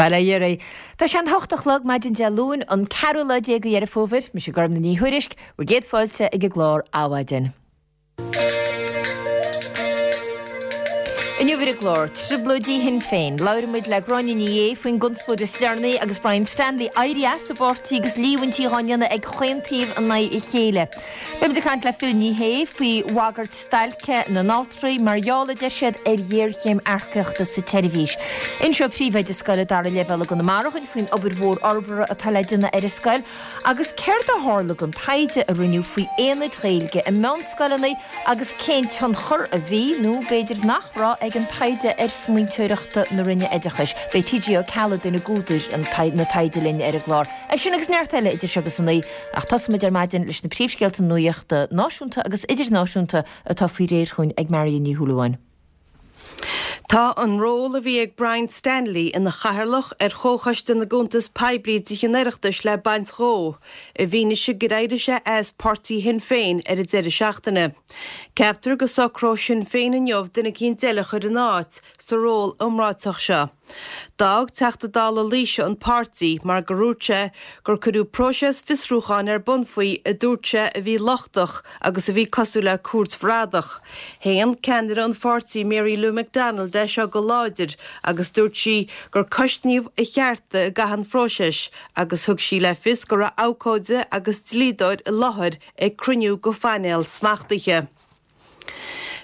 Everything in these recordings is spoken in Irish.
Bail ó Dhia oraibh. Tá sé an hocht a chlog maidin Dé Luain, an ceathrú lá déag de Dheireadh Fómhair. Mise Gormfhlaith Ní Thuairisg, bhur gcéad fáilte ag an gclár Adhmhaidin. Inniu ar an gclár, Trioblóidí Shinn Féin. Labhróidh muid le Gráinne Ní Aodha faoin gconspóid is deireanaí agus Brian Stanley éirithe as an bpáirtí agus líomhaintí dhá ndéanamh ag chaon taobh in aghaidh a chéile. Beidh muid ag caint le Phil Ní Sheaghdha faoi bhagairt stailce na n-altraí mar gheall, a deir siad, ar ghéarchéim earcaíochta sa tseirbhís. Inseoidh príomhoide scoile dara leibhéal i gConamara dhúinn faoin obair mhór fhorbartha atá le déanamh ar an scoil Agus céard a tharla don taighde a rinneadh faoi aonaid Ghaeilge i meánscoileanna agus cén tionchar a bhí, nó b'fhéidir nach raibh, ag an taighde ar smaointeoireacht na Roinne Oideachais? Beidh TG Ó Ceallaigh, duine d'údair an taighde linn ar an gclár. É sin agus neart eile idir seo agus a naoi, ach tosóimid ar maidin leis na príomhscéalta nuachta náisiúnta agus idirnáisiúnta atá faoi réir chugainn ag Marion Ní Shúilleabháin. Tá an ról a bhí ag Brian Stanley ina chathaoirleach ar Chomhchoiste na gCuntas Poiblí i dTithe an Oireachtais le baint dhó, i bhfianaise gur éirigh sé as páirtí Shinn Féin ar an deireadh seachtaine. Ceaptar go socróidh Sinn Féin inniu duine eicínt eile a chur ina áit sa ról iomráiteach seo. D'fhág Teachta Dála Laoise an páirtí mar gur dhúirt sé gur cuireadh próiseas fiosrúcháin ar bun faoi a dúirt sé a bhí lochtach agus a bhí cosúil le cúirt bhradach. Shéan ceannaire an pháirtí Mary Lou McDonald é seo go láidir agus dúirt sí gur cosnaíodh a chearta i gcaitheamh an phróisis agus thug sí le fios go raibh abhcóide agus dlíodóir i láthair ag cruinniú de phainéal smachtaithe.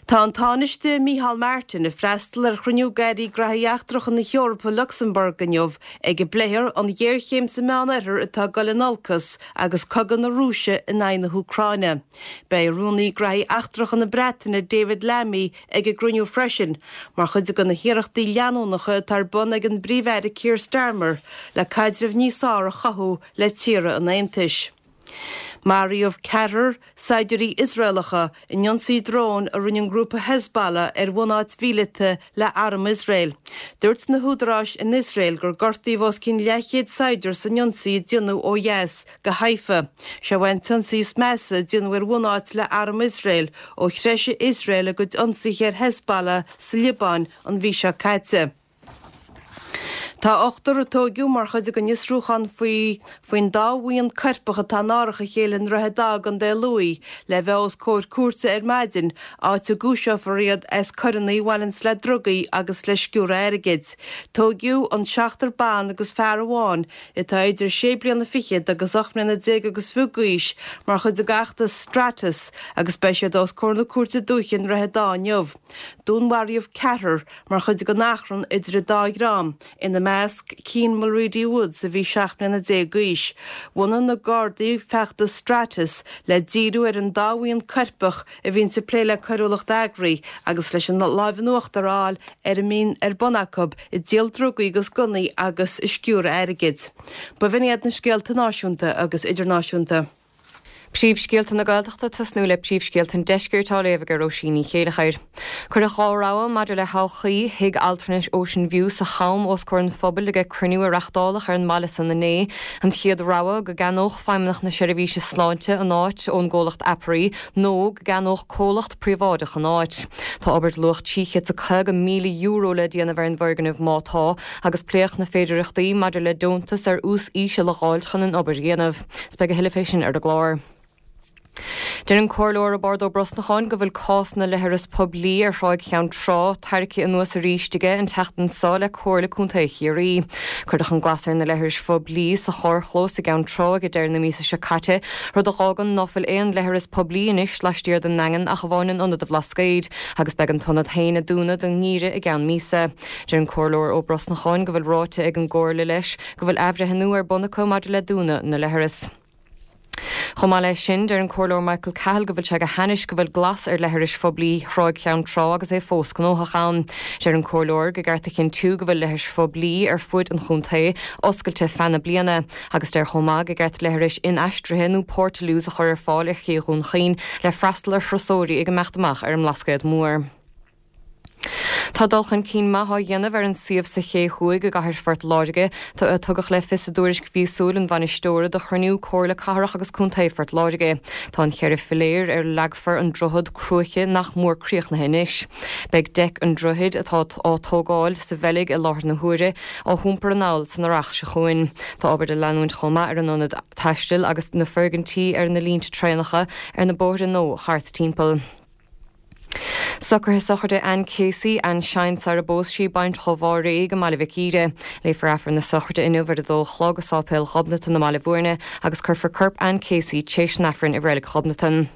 Tá an Tánaiste Micheál Martin ag freastal ar chruinniú d'Airí Graithí Eachtracha na hEorpa i Lucsamburg inniu ag a bpléifear an ghéarchéim sa Meánoirthear atá ag dul in olcas agus cogadh na Rúise in aghaidh na hÚcráine. Beidh Rúnaí Graithí Eachtracha na Breataine David Lammy ag an gcruinniú freisin mar chuid de na hiarrachtaí leanúnacha atá ar bun ag an bPríomh-Aire Keir Starmer le caidreamh níos fearr a chothú le tíortha an Aontais. Maraíodh ceathrar saighdiúirí Iosraelacha in ionsaí dróin a rinne an grúpa Hezbollah ar bhunáit mhíleata le arm Iosrael. Dúirt na húdaráis in Iosrael gur gortaíodh os cionn leathchéad saighdiúir san ionsaí a déanadh ó dheas de Haifa. Seo é an t-ionsaí is measa a déanadh ar bhunáit le arm Iosrael ó threisigh Iosrael a gcuid ionsaithe ar Hezbollah sa Liobáin an mhí seo caite. Tá ochtar a tóigeadh mar chuid den fhiosrúchán faoi faoin dá bhuíon coirpeach atá in árach a chéile i nDroichead Átha i gContae Lú le bheith os comhair cúirte ar maidin, áit a gcúiseofar iad as coireanna a bhaineanns le drugaí agus le sciúradh airgid. Tóigeadh an seachtar ban agus fear amháin atá idir sé bliana fichead agus 18 mbliana agus fiche d'aois mar chuid den fheachtas Stratus agus beidh siad os comhair na Cúirte Dúiche i nDroichead Átha inniu. Dúnmharaíodh ceathrar mar chuid den achrann idir an dá dhream, ina measc Cian Mulready Woods a bhí 17 mbliana d'aois. Bhunaigh na Gardaí feachtas Stratus le díriú ar an dá bhuíon coirpeach a bhíonns ag plé le coiriúlacht eagraithe agus leis an láimh in uachtar a fháil ar a mbíonn ar bun acu ag díol drugaí agus gunnaí agus ag sciúradh airgid. B'in iad na scéalta náisiúnta agus idirnáisiúnta. Príomhscéalta na Gaeltachta ag tosnú le príomhscéalta an Deiscirt á léamh ag Róisín Ní Chéilleachair. Cuireadh 2 rogha maidir le todhchaí Thigh Altranais Ocean View sa Cham os comhair an phobail ag cruinniú a reachtáladh ar an mbaile san inné. An chéad rogha, go gceannódh Feidhmeannacht na Seirbhíse Sláinte an áit ón gcomhlacht Aperi nó go gceannódh comhlacht príobháideach an áit. Tá obair de luach €350,000 le déanamh ar an bhfoirgneamh má tá, agus pléadh na féidireachtaí maidir le deontas ar ús íseal a dh'fháilt chun an obair a dhéanamh. 'S beidh a thuilleadh fé sin ar an gclár. Deir an Comhairleoir Roibeárd Ó Brosnacháin go bhfuil cás na leithreas poiblí ar Thráigh Cheann Trá tarraicthe anuas arís aige an tseachtain seo le Comhairle Contae Chiarraí. Cuireadh an glas ar na leithris phoiblí sa charrchlós i gCeann Trá ag deireadh na míosa seo caite, rud a dh'fhágann ná fuil aon leithreas poiblí anois laistiar den nDaingean ach amháin in Ionad an Bhlascaoid, agus beidh an t-ionad féin ag dúnadh don ngeimhreadh i gceann míosa. Deir an Comhairleoir Ó Brosnacháin go bhfuil ráite ag an gComhairle leis go bhfuil athbhreithniú ar bun acu maidir le dúnadh na leithreas. Chomh maith leis sin, deir an Comhairleoir Michael Cahill go bhfuil sé go hainnis go bhfuil glas ar leithris phoiblí Thráigh Cheann Trá agus é fós gnóthach ann. Deir an Comhairleoir go gceart a chinntiú go bhfuil leithris phoiblí ar fuaid an chontae oscailte feadh na bliana agus deir chomh maith go gceart leithris inaistrithe nó portaloos a chur ar fáil ar Ché Dhún Chaoin le freastal ar thurasóirí ag imeacht amach ar an mBlascaod Mór. Tá dul chun cinn maith á dhéanamh ar an suíomh sa Ché Thuaidh i gcathair Phort Láirge, a tugadh le fios i dtuairisc mhíosúil an bhainisteora do chruinniú Comhairle Cathrach agus Contae Phort Láirge. Tá an cheithre philéar ar a leagfar an droichead cruaiche nach mór críochnaithe anois. Beidh deic an droichid, atá á tógáil sa Bheilg i láthair na huaire, á hiompar anall san earrach seo chugainn. Tá obair ag leanúint chomh maith ar an ionad taistil agus na foirgintí ar na línte traenacha ar na bóithre nua thart timpeall. Socruithe sochraide Anne Casey, Anne Shine sar a bpós sí, baintreach ó Bhá Réidh i mBaile Mhic Íre. Léifear Aifreann na sochraide inniu ar a dó a chlog i Sáipéal Ghobnatan i mBaile Bhúirne agus cuirfear corp Anne Casey tréis an Aifrinn i Reilig Ghobnatan.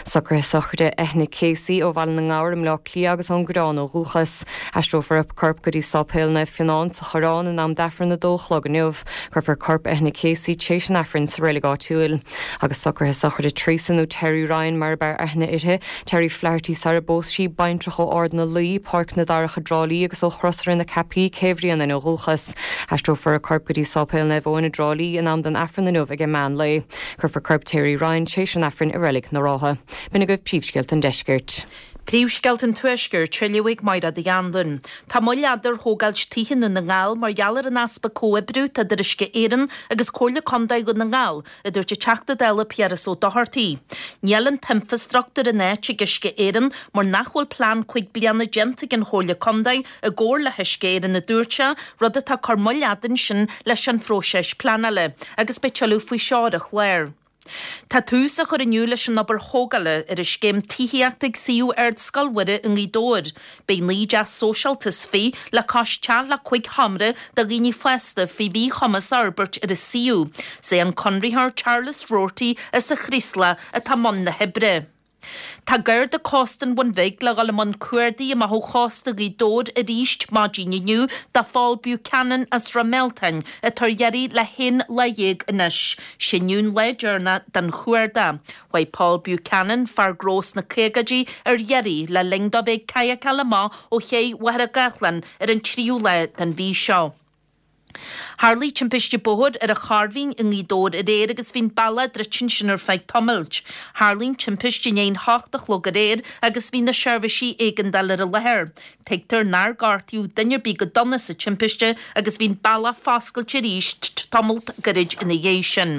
Socruithe sochraide Eithne Casey ó Bhaile na nGabhar i mBleá Cliath agus ón gCoireán ó dhúchas. Aistreofar a corp go dtí Sáipéal Naomh Fionán sa Choireán in am d'Aifreann a dó a chlog inniu. Cuirfear corp Eithne Casey tréis an Aifrinn sa reilig áitiúil. Agus socruithe sochraide Teresa nó Terry Ryan mar ab fhearr aithne uirthi, Terry Flaherty sar a bpós sí, baintreach ó Ard na Laoi, Páirc na Darach i dTrá Lí agus ó Chrosaire na Ceapaí, Cé Bhrianain ó dhúchas. Aistreofar a corp go dtí Sáipéal Naomh Eoin i dTrá Lí in am don Aifreann inniu ag an meán lae. Cuirfear corp Terry Ryan tréis an Aifrinn i Reilig na Rátha. B'in agaibh príomhscéalta an Deiscirt. Príomhscéalta an Tuaiscirt, á léamh ag Máire Uí Anluain. Tá moill fhada ar thógáilt tithe i nDún na nGall mar gheall ar an easpa comhoibriú atá idir Uisce Éireann agus Comhairle Contae Dhún na nGall, a dúirt an Teachta Dála Piaras Ó Dochartaigh. Níl an t-infreastruchtúr in áit ag Uisce Éireann mar nach bhfuil plean 5 bliana déanta ag an Chomhairle Contae i gcomhar le hUisce Éireann, a dúirt sé, rud atá ag cur moill fhada ansin leis an phróiseas pleanála. Agus beidh tuilleadh faoi seo ar an chlár. Tá tús á chur inniu leis an obair thógála ar an scéim tithíochta ag suíomh Ardscoil Mhuire i nGaoth Dobhair. Beidh 19 dteach sóisialta is 20 le cois teach le 5 sheomra do dhaoine fásta faoi mhíchumas á fhorbairt ar an suíomh. Is é an conraitheoir Charles Roarty as an Chraoslach atá i mbun na hoibre. Tá Garda Cósta an Bhun Bhig le dhul i mbun cuardaigh amach ó chósta Ghaoth Dobhair arís maidin inniu do Phól Buchanan as Ráth Mealtain atá ar iarraidh le haon lá dhéag anois. Sé inniu an lá deireanach den chuardach. Chuaigh Paul Buchanan, fear gnó sna caogaidí, ar iarraidh le linn dó bheith ag cadhacáil amach ó ché Mhachaire Gathlán ar an tríú lá den mhí seo. Tharlaigh timpiste bóthair ar an Chorrmhín i nGaoth Dobhair aréir agus bhí an bealach druidte ansin ar feadh tamaill. Tharlaigh an timpiste i ndiaidh an hocht a chlog aréir agus bhí na seirbhísí éigeandála ar an láthair. Tuigtear nár gortaíodh duine ar bith go dona sa timpiste agus bhí an bealach foscailte arís tamalt gairid ina dhiaidh sin.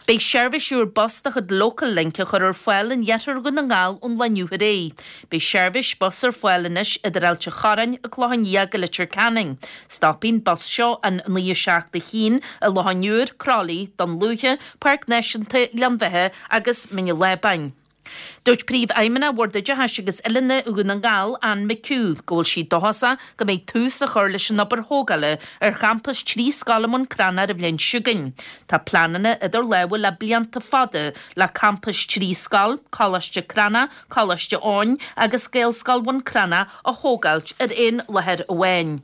Beidh seirbhís úr bus de chuid Local Link á chur ar fáil in iarthar Dhún na nGall ón lá inniu ar aghaidh. Beidh seirbhís bus ar fáil anois idir Ailt an Chorráin, An Clochán Liath go Leitir Ceanainn. Stopfaidh an bus seo an 9 7 1 i Loch an Iúir, Croithlí, Dún Lúiche, Páirc Náisiúnta Ghleann Bheatha agus Mín an Lábáin. Dúirt Príomhfheidhmeannach Bhord Oideachais agus Oiliúna Dhún na nGall, Anne McHugh, go bhfuil sí dóchasach go mbeidh tús á chur leis an obair thógála ar champas 3 scoil i mBun Cranncha ar an bhliain seo chugainn. Tá pleananna idir lámha le blianta fada le campas 3 scoil, Coláiste Cranncha, Coláiste Eoin agus Gaelscoil Bhun Cranncha a thógáilt ar aon láthair amháin.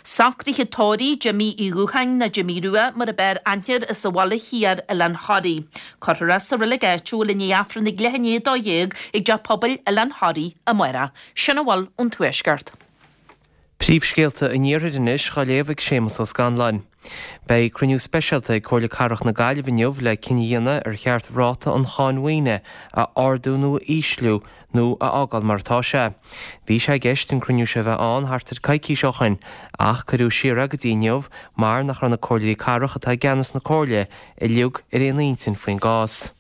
Socruithe tórraimh Jimí Uí Dhúcháin nó Jimí Rua mar ab fhearr aithne air as an Bhaile Thiar, Oileán Thoraí. Cuirfear é sa reilig áitiúil i ndiaidh Aifreann ag leath i ndiaidh 12 ag Teach Pobail Oileán Thoraí amárach. Sin a bhfuil ón Tuaisceart. Príomhscéalta an Iarthair anois dhá léamh ag Séamus Ó Scanláin. Beidh cruinniú speisialta ag Comhairle Cathrach na Gaillimhe inniu le cinneadh a dhéanamh ar cheart ráta an cháin mhaoine a ardú nó a ísliú nó a fhágáil mar atá sé. Bhí sé i gceist an cruinniú seo a bheith ann thart ar coicís ó shoin ach cuireadh siar é go dtí inniu mar nach raibh na comhairleoirí cathrach atá i gceannas na comhairle uilig ar aon intinn faoin gcás.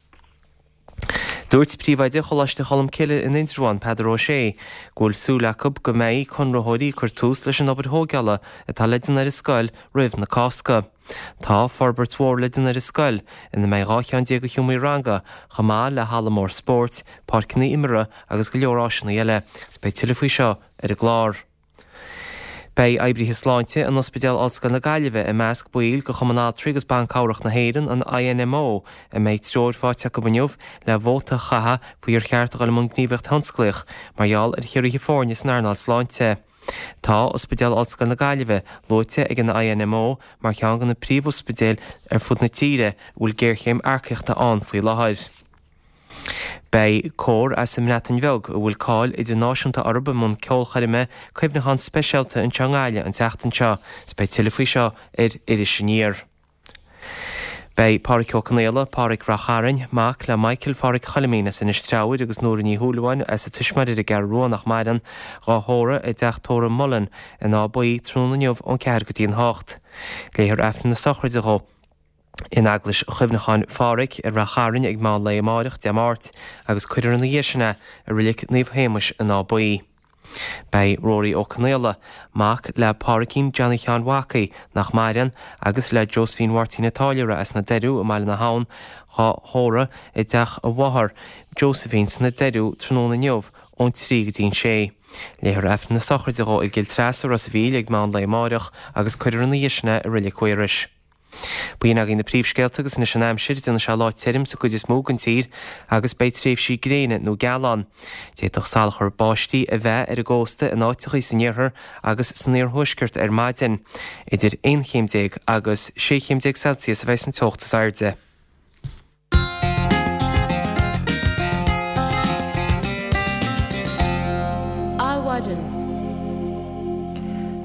Dúirt Príomhoide Choláiste Cholmcille in Indreabhán, Peadar Ó Sé, go bhfuil súil acu go mbeidh conraitheoirí ag cur tús leis an obair thóigeála atá le déanamh ar an scoil roimh na Cásca. Tá forbairt mhór le déanamh ar an scoil, ina mbeidh 12 cheann de sheomraí ranga, chomh maith le halla mór spóirt, páirceanna imeartha agus go leor áiseanna eile. Agus beidh tuilleadh faoi seo ar an gclár. Beidh oibrithe sláinte in Ospidéal Ollscoil na Gaillimhe i measc baill de Chumann Altraí agus Ban Cabhrach na hÉireann, an INMO, a mbeidh treoir faighte acu inniu le vóta a chaitheamh faoi ar cheart a dhul i mbun gníomhaíocht thionsclaíoch mar gheall ar chiorruithe foirne san earnáil sláinte. Tá Ospidéal Ollscoil na Gaillimhe luaite ag an INMO mar cheann de na príomhospidéil ar fud na tíre a bhfuil géarchéim earcaíochta ann faoi láthair. Beidh cór as an mBreatain Bheag, a bhfuil cáil idirnáisiúnta orthu i mbun ceolchoirme cuimhneacháin speisialta anseo i nGaillimh an tseachtain seo, 's beidh tuilleadh faoi seo ar Iris Aniar. Beidh Páraic Ó Conaola, Páraic Rath Chairn, mac le Michael Pháraic Choilimín as Inis Treabhair agus Nóra Ní Shúilleabháin as a tuismitheoirí ar an gCeathrú Rua nach maireann, dhá thórramh i dTeach Tórraimh Mullen in Áth Buí tráthnóna inniu ón 4 go dtí an 8. Léifear Aifreann na sochraide dhó in Eaglais Chuimhneacháin Pháraic i Rath Chairn ag meán lae amáireach, Dé Máirt, agus cuirfear ina dhiaidh sin é i Reilig Naomh Shéamais in Áth Buí. Beidh Rory Ó Conaola, mac le Pádraicín Johnny Sheáin Mhacaí, nach maireann, agus le Josephine Mháirtín an Táilliúra as na Doiriú i mBaile na hAbhann, dhá thórramh i dteach a mháthar, Josephine, sna Doiriú tráthnóna inniu ón 3 go dtí an 6. Léifear Aifreann na sochraide dhó i gCill Treasa, Ros a' Mhíl ag meán lae amáireach agus cuirfear ina dhiaidh sin é i Reilig Mhaorais. B'in agaibh na príomhscéalta agus anois an aimsir, déanfaidh sé lá tirim sa gcuid is mó den tír agus beidh tréimhsí gréine nó geal ann. D'fhéadfadh salachar báistí a bheith ar an gcósta in áiteachaí san iarthar agus san iarthuaisceart ar maidin. Idir 11 chéim agus 16 chéim Celsius a bheidh san teocht is airde. Adhmhaidin.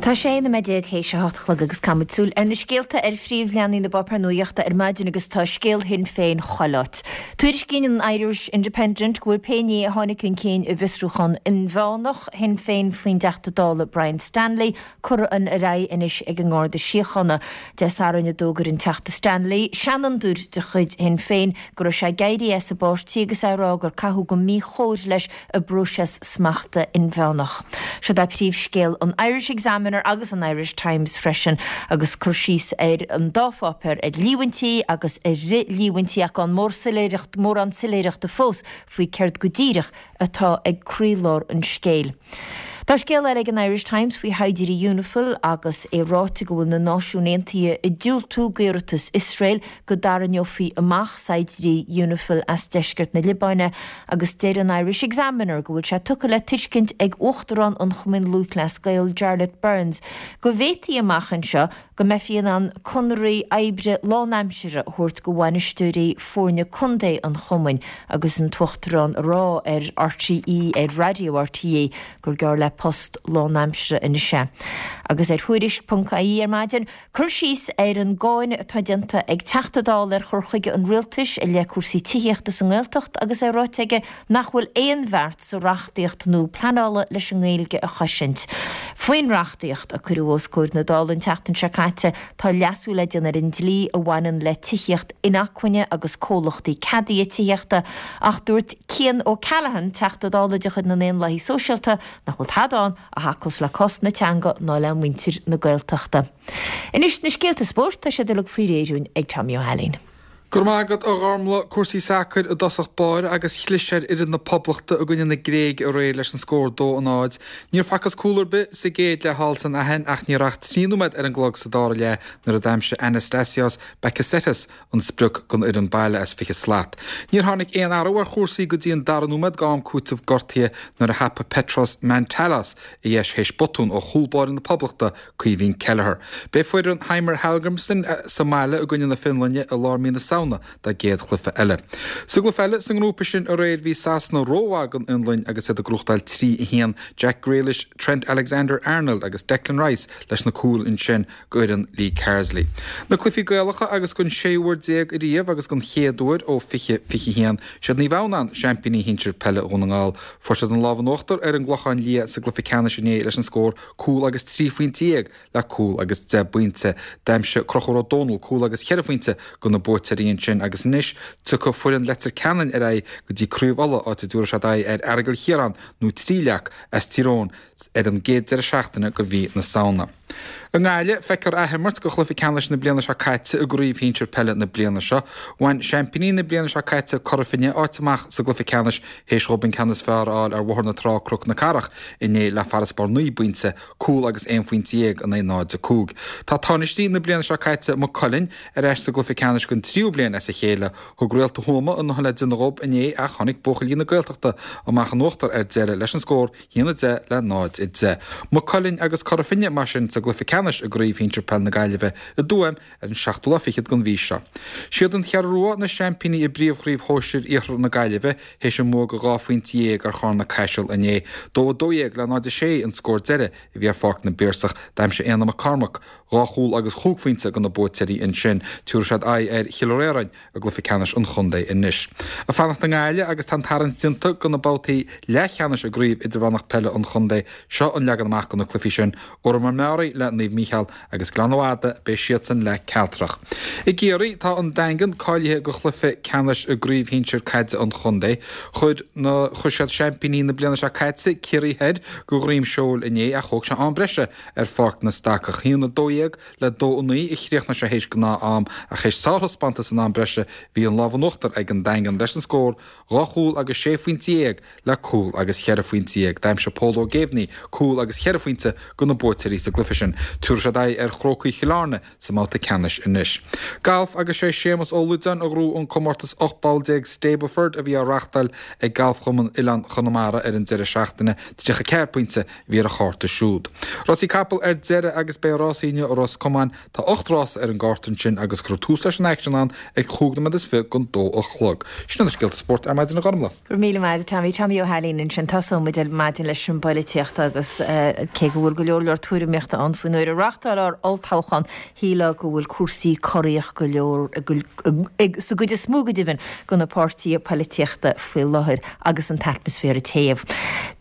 Tá 16 nóiméad théis a hocht a chlog agus caithfimid súil ar na scéalta ar phríomhleathanaigh na bpáipéar nuachta ar maidin agus tá scéal Shinn Féin chuile áit. Tuairiscíonn an Irish Independent go bhfuil pé ní a tháinig chun cinn i bhfiosrúchán inmheánach Shinn Féin faoin dTeachta Dála Brian Stanley curtha ar aghaidh anois ag an nGarda Síochána. Dé Sathairn a d'fhógair an Teachta Stanley, seanfhondúir de chuid Shinn Féin, go raibh sé ag éirí as an bpáirtí agus é ag rá gur caitheadh go míchóir leis i bpróiseas smachta inmheánach. Siod é príomhscéal an Irish Examiner agus an Irish Times freisin agus cur síos ar an dá pháipéar ar líomhaintí agus ar fhrith-líomhaintí ach gan mórán soiléireachta fós faoi céard go díreach atá ag croílár an scéil. Tá scéal eile ag an Irish Times faoi shaighdiúirí Unifil agus é ráite go bhfuil na Náisiúin Aontaithe ag diúltú d'iarratas Iosrael go dtarraingeofaí amach saighdiúirí Unifil as deisceart na Liobáine agus deir an Irish Examiner go bhfuil sé tugtha le tuiscint ag Uachtarán an Chumainn Lúthchleas Gael Jarlath Burns go bhféadfaí amach anseo go mbeifí in ann conarthaí oibre lánaimseartha a thabhairt go bhainisteoirí foirne contae an chumainn agus an tUachtarán ag rá ar RTÉ, ar raidió RTÉ, gur gearr le post lánaimseartha anois é. Agus ar Thuairisc ponc ie ar maidin, cur síos ar an gcáineadh atá déanta ag Teachta Dála ar chur chuige an Rialtais i leith cúrsaí tithíochta sa nGaeltacht agus é ráite aige nach bhfuil aon bheart sa reachtaíocht nua pleanála leis an nGaeilge a chosaint. Faoin reachtaíocht, a cuireadh os comhair na Dála an tseachtain seo caite, tá leasú le déanamh ar an dlí a bhaineann le tithíocht inacmhainne agus comhlachtaí ceadaithe tithíochta, ach dúirt Cian O'Callaghan, Teachta Dála de chuid na nDaonlathaithe Sóisialta, nach bhfuil tada ann a thacós le cás na teanga ná le muintir na Gaeltachta. Anois na scéalta spóirt, tá siad uilig faoi réir dúinn ag Tommy Ó hAilín. Go raibh maith agat, a Ghormlaith. Cúrsaí sacair i dtosach báire agus chlis ar fhoireann na Poblachta i gcoinne na Gréige aréir leis an scór 2 a 0. Níor facthas cúl ar bith sa gcéad leath thall san Aithin ach ní raibh ach 3 nóiméad ar an gclog sa dara leath nuair a d'aimsigh Anastasios Bakasetas an sprioc don fhoireann baile as 20 slat. Níor tháinig aon athrú ar chúrsaí go dtí an dara nóiméad d'am cúitimh gortaithe nuair a thapaigh Petros Mantalos a dheis théis botún ó chúl báire na Poblachta Caoimhín Kelleher. Beidh foireann Heimir Hallgrímsson sa mbaile i gcoinne na Fionlainne i lár mí na Samhna dá gcéad chluiche eile. Sa gcluiche eile sa ngrúpa sin aréir bhí Sasana rómhaith don Fhionlainn agus iad ag gnóthachtáil 3, 1. Jack Grealish, Trent Alexander-Arnold agus Declan Rice leis na cúil ansin d'fhoireann Lee Carsley. Na cluichí Gaelacha agus don séú huair déag ariamh agus don chéad uair ó 2021, siad Naomh Adhamhnáin seaimpíní shinsir peile Dhún na nGall. Fuair siad an lámh in uachtar ar an gClochán Liath sa gcluiche ceannais inné leis an scór cúl agus 13 phointe le cúl agus 10 bpointe. D'aimsigh Conchúr Ó Dónaill cúl agus cheithre phointe do na buaiteoirí ansin agus anois tiocfaidh foireann Leitir Ceanainn ar aghaidh go dtí Craobh Uladh áit a dtabharfaidh siad aghaidh ar Aireagal Chiaráin nó Tríleac as Tír Eoghain ar an gcéad deireadh seachtaine de mhí na Samhna. I nGaillimh, feicfear athimirt de chluiche ceannais na bliana seo caite i gcraobh shinsir peile na bliana seo. Bhain seaimpíní na bliana seo caite, Cora Finne, áit amach sa gcluiche ceannais théis dhóibh an ceann is fearr a fháil ar Bhóthar na Trá, Cnoc na Cathrach, inné le farasbarr 9 bpointe, cúl agus 11 phointe in aghaidh 0-5. Tá tánaistí na bliana seo caite, Maigh Cuilinn, ar ais sa gcluiche ceannais don tríú bliain as a chéile. Thug Réalta Thuama a ndóthain le déanamh dhóibh inné ach tháinig buachaillí na Gaeltachta amach in uachtar ar deireadh leis an scór 1-10 le 0-10. Maigh Cuilinn agus Cora Finne mar sin sa gcluiche ceannais. ceannais i gCraobh Shinsir Peil na Gaillimhe i dTuaim ar an seachtú lá fichead den mhí seo. Siad an Cheathrú Rua na seaimpíní i bPríomhchraobh Shóisir Iarthar na Gaillimhe théis a mbua de 12 phointe ar Charna Caiseal inné. 2-12 le 0-6 an scór deiridh a bhí ar Pháirc na bPiarsach. D'aimsigh Éanna Mac Cormaic dhá chúl agus chúig phointe do na buaiteoirí ansin. Tabharfaidh siad aghaidh ar Chill Réaráin i gcluiche ceannais an chontae anois. Ag fanacht i nGaillimh agus tá an tarraingt déanta do na babhtaí leathcheannais i gCraobh Idirmheánach Peile an Chontae. Seo an leagan amach do na cluichí sin, Órán Mór Meáraí le Naomh Mícheál agus Gleann Fhada, beidh siadsan le Cealtrach. I gCiarraí, tá an Daingean cáilithe do chluiche ceannais i gCraobh Shinsir Caide an Chontae. Chuir na chuir siad seaimpíní na bliana seo caite, Ciarraí Thoir, de dhroim seoil inné ach thóg sé am breise ar Pháirc na Stacach. 1-12 le 2-9 a chríochnaigh sé théis gnáth-am ach théis sárthaispeántas in am breise bhí an lámh in uachtar ag an Daingean leis an scór dhá chúl agus sé phointe dhéag le cúl agus cheithre phointe dhéag. D'aimsigh Pól Ó Géibhní cúl agus cheithre phointe do na buaiteoirí sa gcluiche sin. Tabharfaidh siad aghaidh ar Chrócaigh Chill Airne sa mbabhta ceannais anois. Galf agus sé Séamus Ó Loideáin a ghnóthaigh an comórtas 18 bpoll Stableford a bhí á reachtáil ag Galfchumann Oileán Chonamara ar an deireadh seachtaine. 34 pointe a bhí ar a chárta siúd. Rásaí capall ar deireadh agus beidh rásaí inniu i Ros Comáin. Tá 8 rása ar an gcárta ansin agus cuirfear tús leis an aicsean ann ag chúig nóiméad is fiche don dó a chlog. Sin iad na scéalta spóirt ar maidin a Ghormlaith. Go raibh míle maith agat Tommy. Tommy Ó hAilín ansin. Tosóidh muid ar maidin leis an bpoilitíocht agus cé go bhfuil go leor leor tuairimíochta ann faoin uair a reáchtáil ár olltoghchán, shílfeá go bhfuil cúrsaí corraíoch go leor sa gcuid is mó go deimhin de na páirtithe poilitíochta faoi láthair agus an t-atmaisféar ag téamh.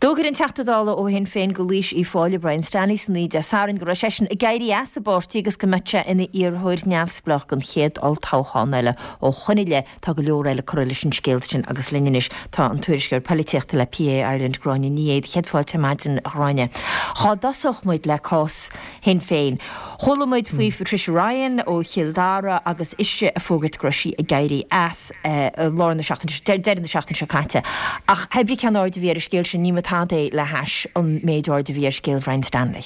D'fhógair an Teachta Dála ó Shinn Féin do Laois Uíbh Fhailí, Brian Stanley san oíche Dé Sathairn go raibh seisean ag éirí as an bpáirtí agus go mbeadh sé ina iarrthóir neamhspleách don chéad olltoghchán eile ó shoin i leith. Tá go leor eile curtha leis an scéal sin agus linn anois tá an tuairisceoir poilitíochta le PA Ireland, Gráinne Ní Aodha. Céad fáilte ar maidin, a Ghráinne. Dhá dtosódh muid le cás Shinn Féin. Chuala muid faoi Patricia Ryan ó Chill Dara agus ise ag fógairt go raibh sí ag éirí as i lár na seachtaine, deireadh na seachtaine seo caite. Ach hé brí cén aird a bhí ar an scéal sin, ní mba tada é le hais an méid aird a bhí ar scéal Bhrian Stanley.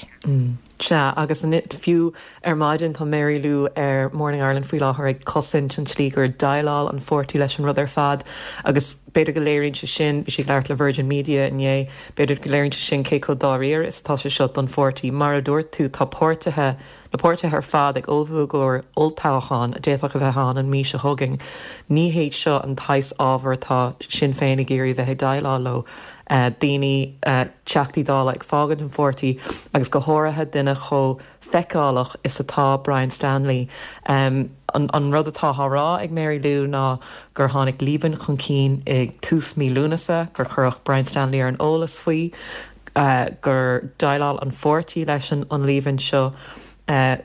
Sea, agus fiú ar maidin tá Mary Lou ar Morning Ireland faoi láthair ag cosaint an tslí gur dhéileáil an pháirtí leis an rud ar fad agus b'fhéidir go léiríonn sé sin, bhí sí ag labhairt le Virgin Media inné, b'fhéidir go léiríonn sé sin cé chomh dáiríre is atá sé seo don pháirtí. Mar a dúirt tú, tá páirtithe, na páirtithe ar fad ag ullmhú i gcomhair olltoghchán a d'fhéadfadh a bheith ann an mhí seo chugainn. Ní hiad seo an tsaghas ábhar atá Sinn Féin ag iarraidh bheith ag déileáil leo. Daoine, Teachtaí Dála ag fágaint an pháirtí agus go háirithe duine chomh feiceálach is atá Brian Stanley. An rud atá á rá ag Mary Lou ná gur tháinig líomhain chun cinn i dtús mí Lúnasa, gur cuireadh Brian Stanley ar an eolas faoi, gur dhéileáil an pháirtí leis an líomhain seo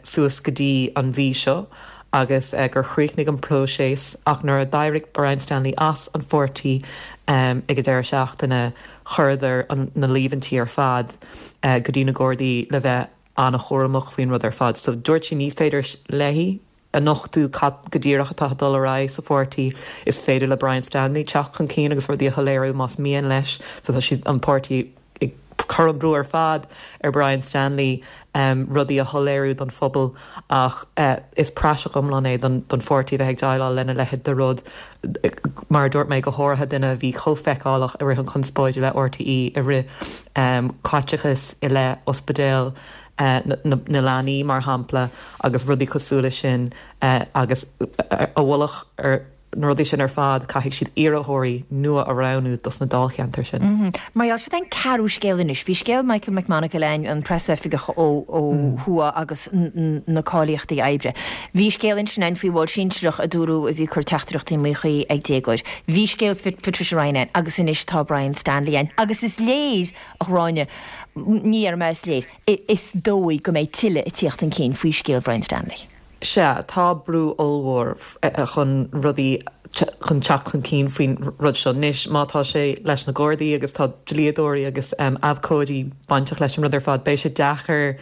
suas go dtí an mhí seo agus gur chríochnaigh an próiseas ach nuair a d'éirigh Brian Stanley as an pháirtí ag an deireadh seachtaine chuireadar na líomhaintí ar fad go dtí na Gardaí le bheith an-chúramach faoin rud ar fad. So dúirt sí ní féidir léi a nochtadh cad go díreach atá ag dul ar aghaidh sa pháirtí. Is féidir le Brian Stanley teacht chun cinn agus rudaí a shoiléiriú más mian leis. So tá siad, an páirtí, ag cur an brú ar fad ar Brian Stanley rudaí a shoiléiriú don phobal ach is praiseach iomlán é don pháirtí a bheith ag déileáil lena leithéid de rud. Mar a dúirt mé, go háirithe duine a bhí chomh feiceálach i rith an chonspóide le RTÉ i rith caiteachas i leith ospidéal na leanaí, mar shampla, agus rudaí cosúil leis sin agus i mullach ar na rudaí sin ar fad, caithfidh siad iarrthóirí nua a roghnú dos na dáilcheantair sin. Mar gheall, seo an ceathrú scéal anois. Bhí scéal Michael McMonagle ann, an preasoifigeach ó thuaidh agus na cáilíochtaí oibre. Bhí scéal ansin ann faoi bhall sinsearach a dúradh a bhí ag cur teachtaireachtaí míchuí ag déagóir. Bhí scéal Patricia Ryan ann agus anois tá Brian Stanley ann. Agus is léir, a Ghráinne, ní déarfaidh mé is léir, is dóigh go mbeidh tuilleadh ag tíocht chun cinn faoi scéal Brian Stanley. Sea, tá brú ollmhór chun rudaí, chun teacht chun cinn faoin rud seo. Anois, má tá sé leis na Gardaí agus tá dlíodóirí agus abhcóidí bainteach leis an rud ar fad, beidh sé deacair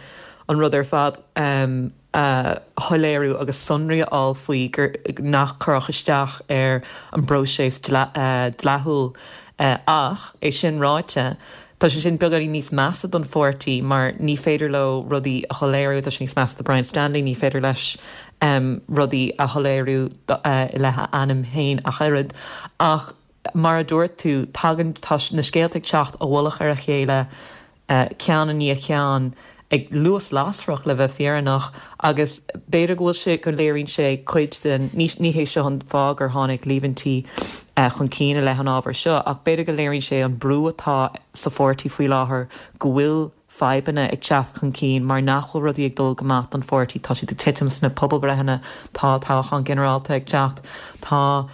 an rud ar fad a shoiléiriú agus sonraí a fháil faoi gur nach gcuirfeadh isteach ar an bpróiseas dleathúil. Ach, é sin ráite, tá sé sin beagáinín níos measa don pháirtí mar ní féidir leo rudaí a shoiléiriú, tá sé níos measa do Brian Stanley, ní féidir leis rudaí a shoiléiriú i leith a ainm féin ach oiread. Ach mar a dúirt tú, tagann, tá na scéalta ag teacht i mullach ar a chéile, ceann i ndiaidh ceann. ag luas lasrach le bheith fírinneach agus b'fhéidir go bhfuil sé, go léiríonn sé cuid den, ní, ní hé seo an fáth gur tháinig líomhaintí chun cinn i leith an ábhair seo ach b'fhéidir go léiríonn sé an brú atá sa pháirtí faoi láthair go bhfuil fadhbanna ag teacht chun cinn mar nach bhfuil rudaí ag dul go maith don pháirtí, tá siad ag titim sna pobalbhreitheanna, tá toghchán ginearálta ag teacht, tá.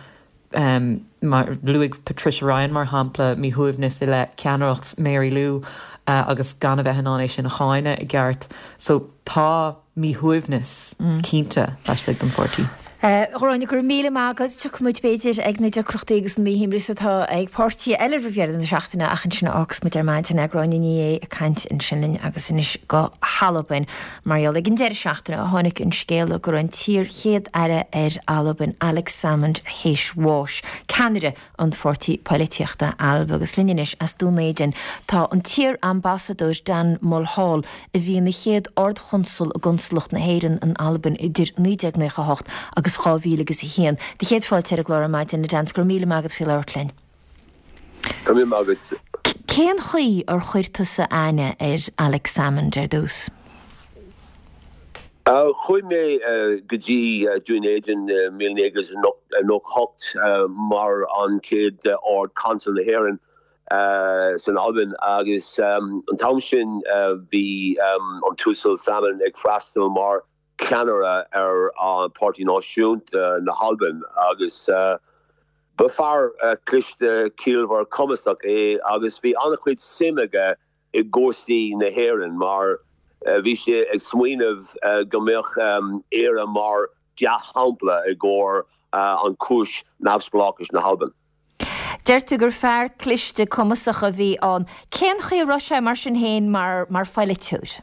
Mar, luaigh Patricia Ryan, mar shampla, míshuaimhneas i leith ceannaireacht Mary Lou agus gan a bheith in ann é sin a cháineadh i gceart. So, tá míshuaimhneas cinnte laistigh den pháirtí. A Ghráinne, go raibh míle maith agat. Tiocfaidh muid, b'fhéidir, ag na deacrachtaí agus an míshuaimhneas atá ag páirtithe eile roimh dheireadh na seachtaine ach ansin a fhágfas muid ar maidin é. Gráinne Ní Aodha ag caint ansin linn agus anois go hAlbain. Mar gheall ag an deireadh seachtaine a tháinig an scéala go raibh an t-iar-Chéad-Aire ar Albain, Alex Salmond, théis bháis, ceannaire an pháirtí poilitíochta Alba. Agus linn anois as Dún Éideann tá an t-iar-ambasadóir Dan Mulhall, a bhí ina chéad Ard-Chonsal i gConsalacht na hÉireann in Albain idir 1998 agus 2001. Do chéad fáilte ar an gclár ar maidin, a Dan, 's go raibh míle maith agat faoi labhairt linn. Go raibh míle maith agat. Cén chaoi ar chuir tusa aithne ar Alex Salmond ar dtús? Chuaigh mé go dtí Dún Éideann i 1998 mar an chéad Ard-Chonsal na hÉireann san Albain agus an t-am sin bhí an tUasal Salmond ag freastal mar ceannaire ar an Páirtí Náisiúnta na hAlban agus ba fear cliste, ciallmhar, cumasach é agus bhí an-chuid suim aige i gcúrsaí na hÉireann mar bhí sé ag smaoineamh go mbeadh Éire mar dea-shampla i gcomhair an cúis neamhspleáchais na hAlban. Deir tú gur fear cliste cumasach a bhí ann. Cén chaoi a raibh sé mar sin féin mar mar pholaiteoir?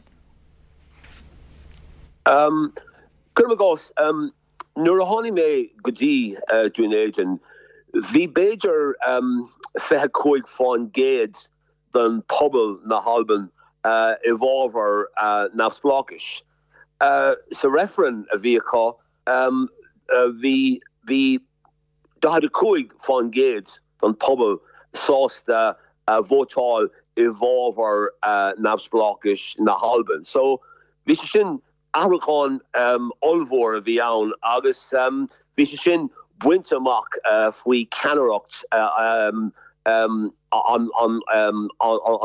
Cuirim i gcás, nuair a tháinig mé go dtí Dún Éideann, bhí b'fhéidir 25% den pobal na hAlban i bhfabhar neamhspleáchais. Sa reifreann a bhí acu, bhí bhí 45% den pobal sásta vótáil i bhfabhar neamhspleáchais na hAlban. So bhí sé sin, athrúchán ollmhór a bhí ann agus bhí sé sin bainte amach faoi cheannaireacht an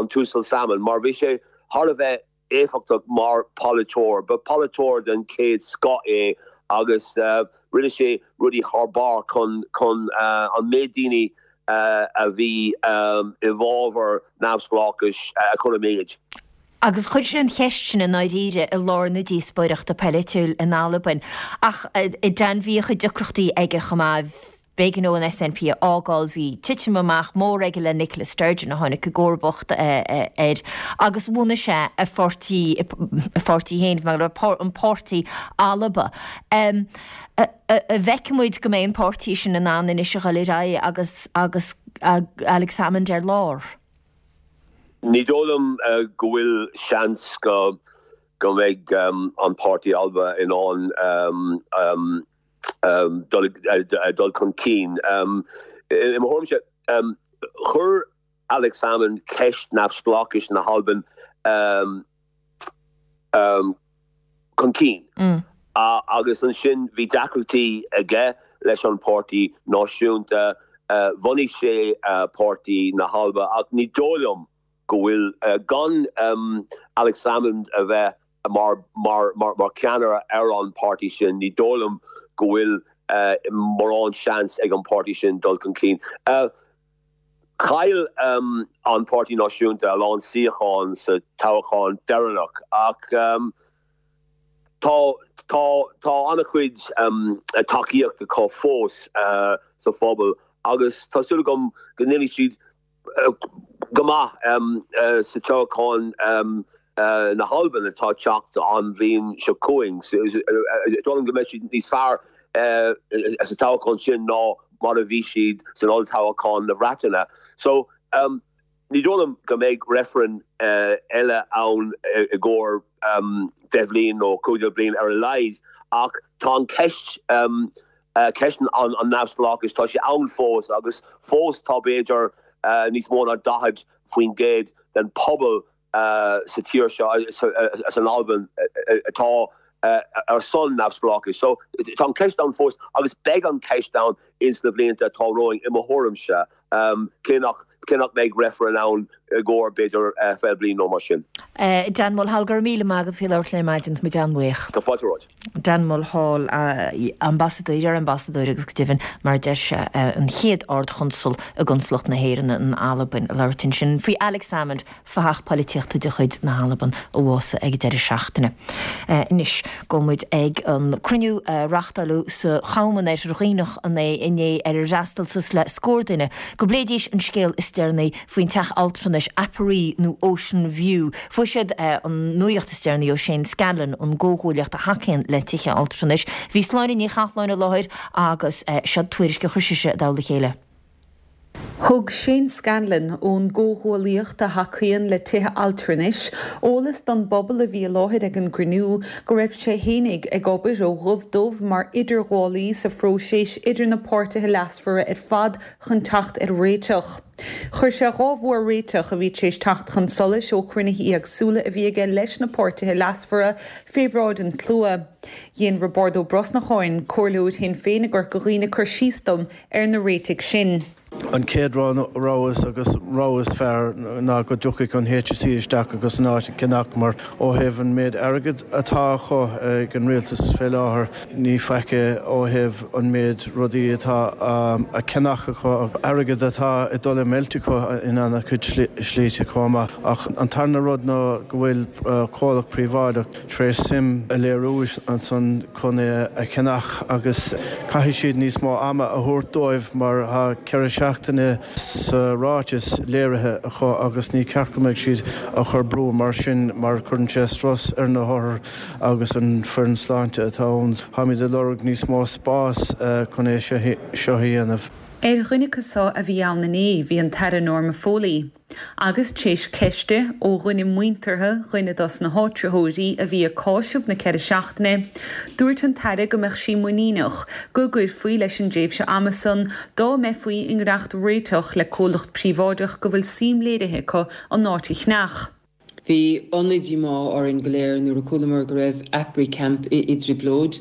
tUasal Salmond mar bhí sé thar a bheith éifeachtach mar pholaiteoir. Ba pholaiteoir den chéad scoth é agus rinne sé rudaí thar barr chun chun an méid daoine a bhí i bhfabhar neamhspleáchais a chur i méid. Agus chuir sé an cheist sin i ndáiríre i lár na díospóireachta polaitiúil in Albain. Ach Dan, bhí a chuid deacrachtaí aige chomh maith. B'éigean dó an SNP a fhágáil, bhí titim amach mór aige le Nicola Sturgeon a tháinig i gcomharbacht air agus bhunaigh sé a pháirtí, a pháirtí féin, an Páirtí Alba. An bhfeicfidh muid go mbeidh an páirtí sin in ann anois a dhul ar aghaidh agus agus Alex Salmond ar lár? Ní dóigh liom go bhfuil seans go go mbeidh an Páirtí Alba in ann dul chun cinn. I mo thuairimse, chuir Alex Salmond ceist neamhspleáchais na hAlban chun cinn agus ansin bhí deacrachtaí aige leis an Páirtí Náisiúnta. Bhunaigh sé Páirtí na hAlba ach ní dóigh liom go bhfuil, gan Alex Salmond a bheith mar mar cheannaire ar an páirtí sin, ní dóigh liom go bhfuil mórán seans ag an páirtí sin dul chun cinn. Chaill an Páirtí Náisiúnta a lán suíochán sa toghchán deireanach ach tá tá tá an-chuid tacaíocht acu fós sa phobal agus tá súil agam go ndéanfaidh siad go maith sa toghchán na hAlban atá ag teacht an bhliain seo chugainn. Is dóigh liom go mbeidh siad níos fearr sa toghchán sin ná mar a bhí siad san olltoghchán na Breataine. So, ní dóigh liom go mbeidh reifreann eile ann i gcomhair 10 bhliain nó 15 bliain ar a laghad ach tá an cheist Ceist an neamhspleáchais, tá sé ann fós agus fós tá b'fhéidir níos mó ná 40% den pobal. sa tír seo, san Albain, atá ar son neamhspleáchais. So tá an ceist ann fós agus beidh an ceist ann ins na blianta atá romhainn i mo thuairimse, cé nach cé nach mbeidh reifreann ann i gcomhair b'fhéidir 20 bliain nó mar sin. Dan Mulhall, go raibh míle maith agat faoi labhairt linn ar maidin, tá muid an-bhuíoch. Tá fáilte romhat. Dan Mulhall, ambasadóir, iar-ambasadóir agus go deimhin, mar a deir sé, an chéad Ard-Chonsal i gConsalacht na hÉireann in Albain, ag labhairt ansin faoi Alex Salmond, fathach polaitíochta de chuid na hAlban a bhásaigh ag an deireadh seachtaine. Anois, gabhfaidh muid ag an cruinniú a reachtáileadh sa Cham in Oirthear Dhuibhneach inné ar ar fhreastail suas le scór duine go bpléidís an scéal is deireanaí faoin teach altranais Aperee nó Ocean View. Fuair siad an nuaíocht is deireanaí ó Shane Scanlon ón gcomhghuaillíocht a thacaíonn le tithe altranais. Bhí Sláine Ní Chathalláin i láthair agus seo tuairisc a chuir sise i dtoll a chéile. Thug Shane Scanlon, ón gcomhghuaillíocht a thacaíonn le tithe altranais, eolas don bpobal a bhí i láthair ag an gcruinniú go raibh sé fhéinig ag obair ó dhubh dubh mar idirghabhálaí sa phróiseas idir na páirtithe leasmhara ar fad chun teacht ar réiteach. Chuir sé 2 mhór-réiteach a bhí tar éis teacht chun solais ó chruinnithe éagsúla a bhí aige leis na páirtithe leasmhara fé bhráid an tslua. Dhein Roibeárd Ó Brosnacháin, Comhairleoir Shinn Féin i gCorca Dhuibhne cur síos dom ar na réitigh sin. An chéad rogha agus rogha is fearr ná go dtiocfadh an HSE isteach agus an áit a cheannach mar ó thaobh an méid airgid atá acu ag an rialtas fé láthair ní faic é ó thaobh an méid rudaí atá á cheannach acu, airgead atá ag dul ag meilt acu in ana-chuid slite chomh maith. Ach an tarna rud ná go bhfuil comhlacht príobháideach tar éis suim a léiriú ansan chun é a cheannach agus caithfidh siad níos mó ama a thabhairt dóibh mar tá 4 seachtaine sa ráiteas léirithe acu agus ní ceart go mbeadh siad á chur brú mar sin mar cuireann sé strus ar na hothair agus an foireann sláinte atá ann. Táimid ag lorg níos mó spás chun é seo a dhéanamh. Ar dhuine acu so a bhí ann inné bhí an tAire Norma Foley. Agus t'éis ceiste ó dhuine muinteartha dhuine dos na háitritheoirí a bhí ag cáiseamh na 4 seachtaine, dúirt an tAire go mbeadh sí muiníneach go gcuirfí leis an dtréimhse ama san dá mbeifí i ngnaitheacht réiteach le comhlacht príobháideach go bhfuil suim léirithe acu an áit a cheannach. Bhí an-díomá orainn go léir nuair a chualamar go raibh Aperee Camp i dtrioblóid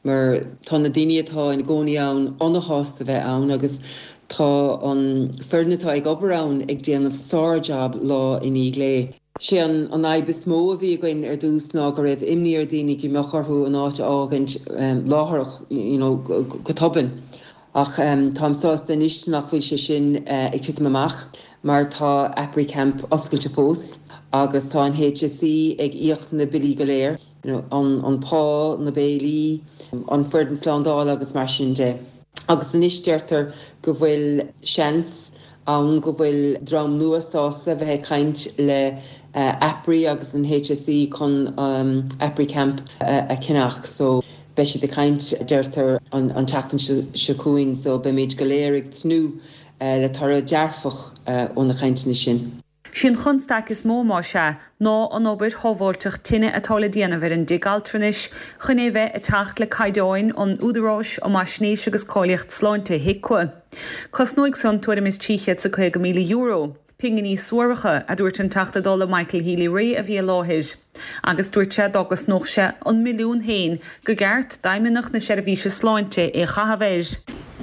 mar tá na daoine atá ina gcónaí ann an-shásta bheith ann agus tá an foireann atá ag obair ann ag déanamh sár-jab lá i ndiaidh lae. Sé an fhadhb is mó a bhí againn ar dtús ná go raibh imní ar daoine go mbeadh orthu an áit a fhágaint láithreach, you know, go tobann. Ach táim sásta anois nach bhfuil sé sin ag titim amach mar tá Aperee Camp oscailte fós agus tá an HSE ag íoc na billí go léir, you know, an pá, na béilí, an foireann slándála agus mar sin de. Agus anois deirtear go bhfuil seans ann go bhfuil dream nua sásta bheith ag caint le Aperee agus an HSE chun Aperee Camp a cheannach. So. Beidh siad ag caint, deirtear, an tseachtain seo chugainn so beimid go léir ag tnúth le toradh dearfach ó na cainteanna sin. Sí an chonstaic is mó, más ea, ná an obair shábháilteacht tine atá le déanamh ar an dtigh altranais chun é bheith ag teacht le caighdeáin an Údaráis um Fhaisnéis agus Cáilíocht Sláinte, HIQA. Cosnóidh san tuairim is €350,000. Pinginí suaracha, a dúirt an Teachta Dála Michael Healy-Rae a bhí i láthair. Agus dúirt sé dá gcosnódh sé an milliún féin go gceart d'Fheidhmeannacht na Seirbhíse Sláinte é a chaitheamh air.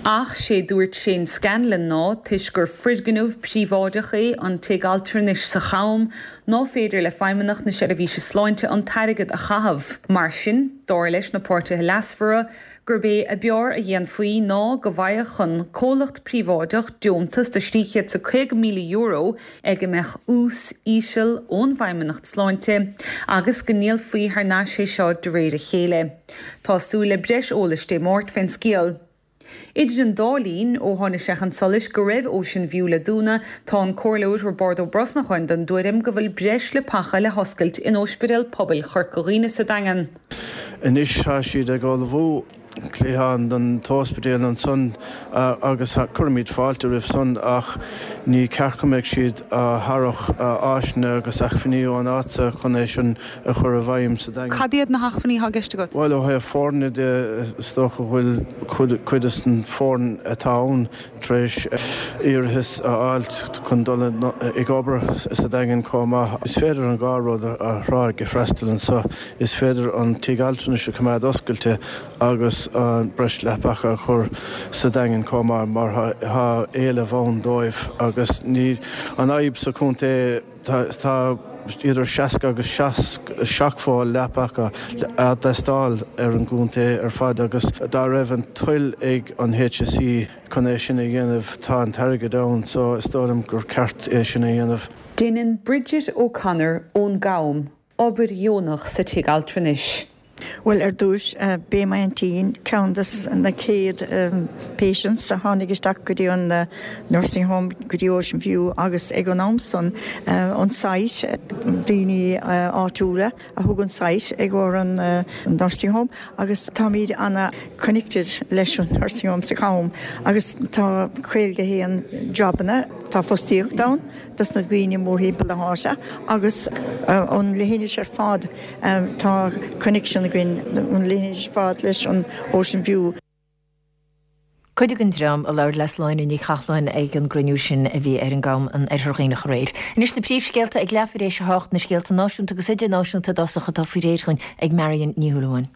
Ach sé dúirt Shane Scanlon ná toisc gur foirgneamh príobháideach é an tigh altranais sa Cham ná féidir le Feidhmeannacht na Seirbhíse Sláinte an t-airgead a chaitheamh. Mar sin, dar leis na páirtithe leasmhara, gurb é a b'fhearr a dhéanfaí ná go bhfaigheadh an comhlacht príobháideach deontas de €350,000 ag a mbeadh ús íseal ón bhFeidhmeannacht Sláinte agus go ndíolfaí thar n-ais é seo de réir a chéile. Tá súil le breis eolais Dé Máirt fén scéal. Idir an dá linn, ó tháinig sé chun solais go raibh Ocean View le dúnadh, tá an Comhairleoir Roibeárd Ó Brosnacháin den dtuairim go bhfuil breis leapacha le hoscailt in Ospidéal Pobail Chorca Dhuibhne sa Daingean. Anois tá siad ag ullmhú. Cliathán don t-ospidéal ansan agus cuirimid fáilte roimh san ach ní ceart go mbeadh siad á tharrac áiseanna agus acmhainní ón áit so chun é sin a chur i bhfeidhm sa Daingean. Cad iad na hacmhainní atá i gceist agat? Bhuel, ó thaobh foirne de, is dócha go bhfuil cuid des an foireann atá ann tar éis iarratas a fháilt chun dul ag obair sa Daingean chomh maith. Is féidir an dhá rud a thráigh ag freastal anso. Is féidir an tigh altranais a choimeád oscailte agus an breis leapacha a chur sa Daingean chomh maith mar tá éileamh ann dóibh agus ní an fhadhb sa chontae tá idir 60 agus 70 leapacha a dteastáil ar an gcontae ar fad agus dá raibh an toil ag an HSE chun é sin a dhéanamh tá an t-airgead ann so is dóigh liom gur ceart é sin a dhéanamh. Déanann Bridget O'Connor ón gCam obair dheonach sa tigh altranais. Bhuel, ar dtúis, b'é m'aintín ceann de na chéad patients a tháinig isteach go dtí an nursing home, go dtí Ocean View agus ag an am san, an site, daoine áitiúla a thug an site i gcomhair an nursing home agus táimid ana connected leis an nursing home sa Cham agus tá 51 jobanna, tá fostaíocht ann. dos na daoine mórthimpeall na háite agus an leithinis ar fad tá connection againn an leithinis ar fad leis an Ocean View. Cuid den dream a labhair le Sláine Ní Chathalláin ag an gcruinniú sin a bhí ar an gCam in Oirthear Dhuibhneach aréir. Anois na príomhscéalta ag leathuair éis a hocht, na scéalta náisiúnta agus idirnáisiúnta i dtosach atá faoi réir dhúinn ag Marion Ní Shúilleabháin.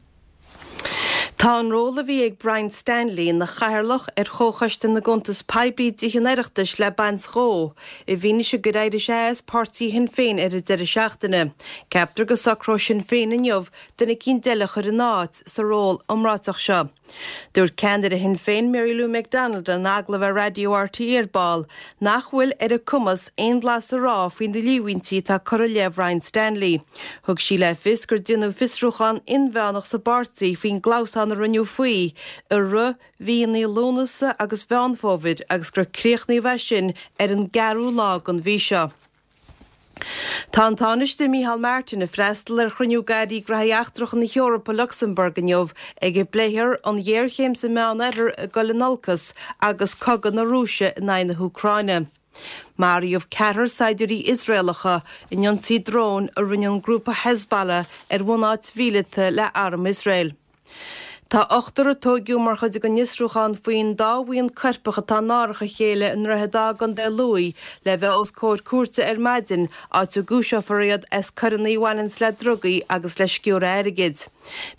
Tá an ról a bhí ag Brian Stanley ina chathaoirleach ar Chomhchoiste na gCuntas Poiblí i dTithe an Oireachtais le baint dhó, i bhfianaise gur éirigh sé as páirtí Shinn Féin ar an deireadh seachtaine. Ceaptar go socróidh Sinn Féin inniu duine eicínt eile a chur ina áit sa ról iomráiteach seo. Dúirt ceannaire Shinn Féin Mary Lou McDonald in agallamh ar Raidió RTÉ ar ball nach bhfuil ar a cumas aon bhlas a rá faoi na líomhaintí atá curtha i leith Bhrian Stanley. Thug sí le fios gur déanadh fiosrúchán inmheánach sa bpáirtí faoin gclamhsán a rinneadh faoi i rith mhíonna Lúnasa agus Mheán Fómhair agus gur críochnaíodh é sin ar an gceathrú lá den mhí seo. Tá an Tánaiste Micheál Martin ag freastal ar chruinniú d'Airí Gnóthaí Eachtracha na hEorpa i Lucsamburg inniu ag a bpléifear an ghéarchéim sa Meánoirthear ag dul in olcas agus cogadh na Rúise in aghaidh na hÚcráine. Maraíodh ceathrar saighdiúirí Iosraelacha in ionsaí dróin a rinne an grúpa Hezbollah ar bhunáit mhíleata le arm Iosrael. Tá ochtar a tóigeadh mar chuid den fhiosrúchán faoin dá bhuíon coirpeach atá in árach a chéile i nDroichead Átha i gContae Lú le bheith os comhair cúirte ar maidin, áit a gcúiseofar iad as coireanna a bhaineanns le drugaí agus le sciúradh airgid.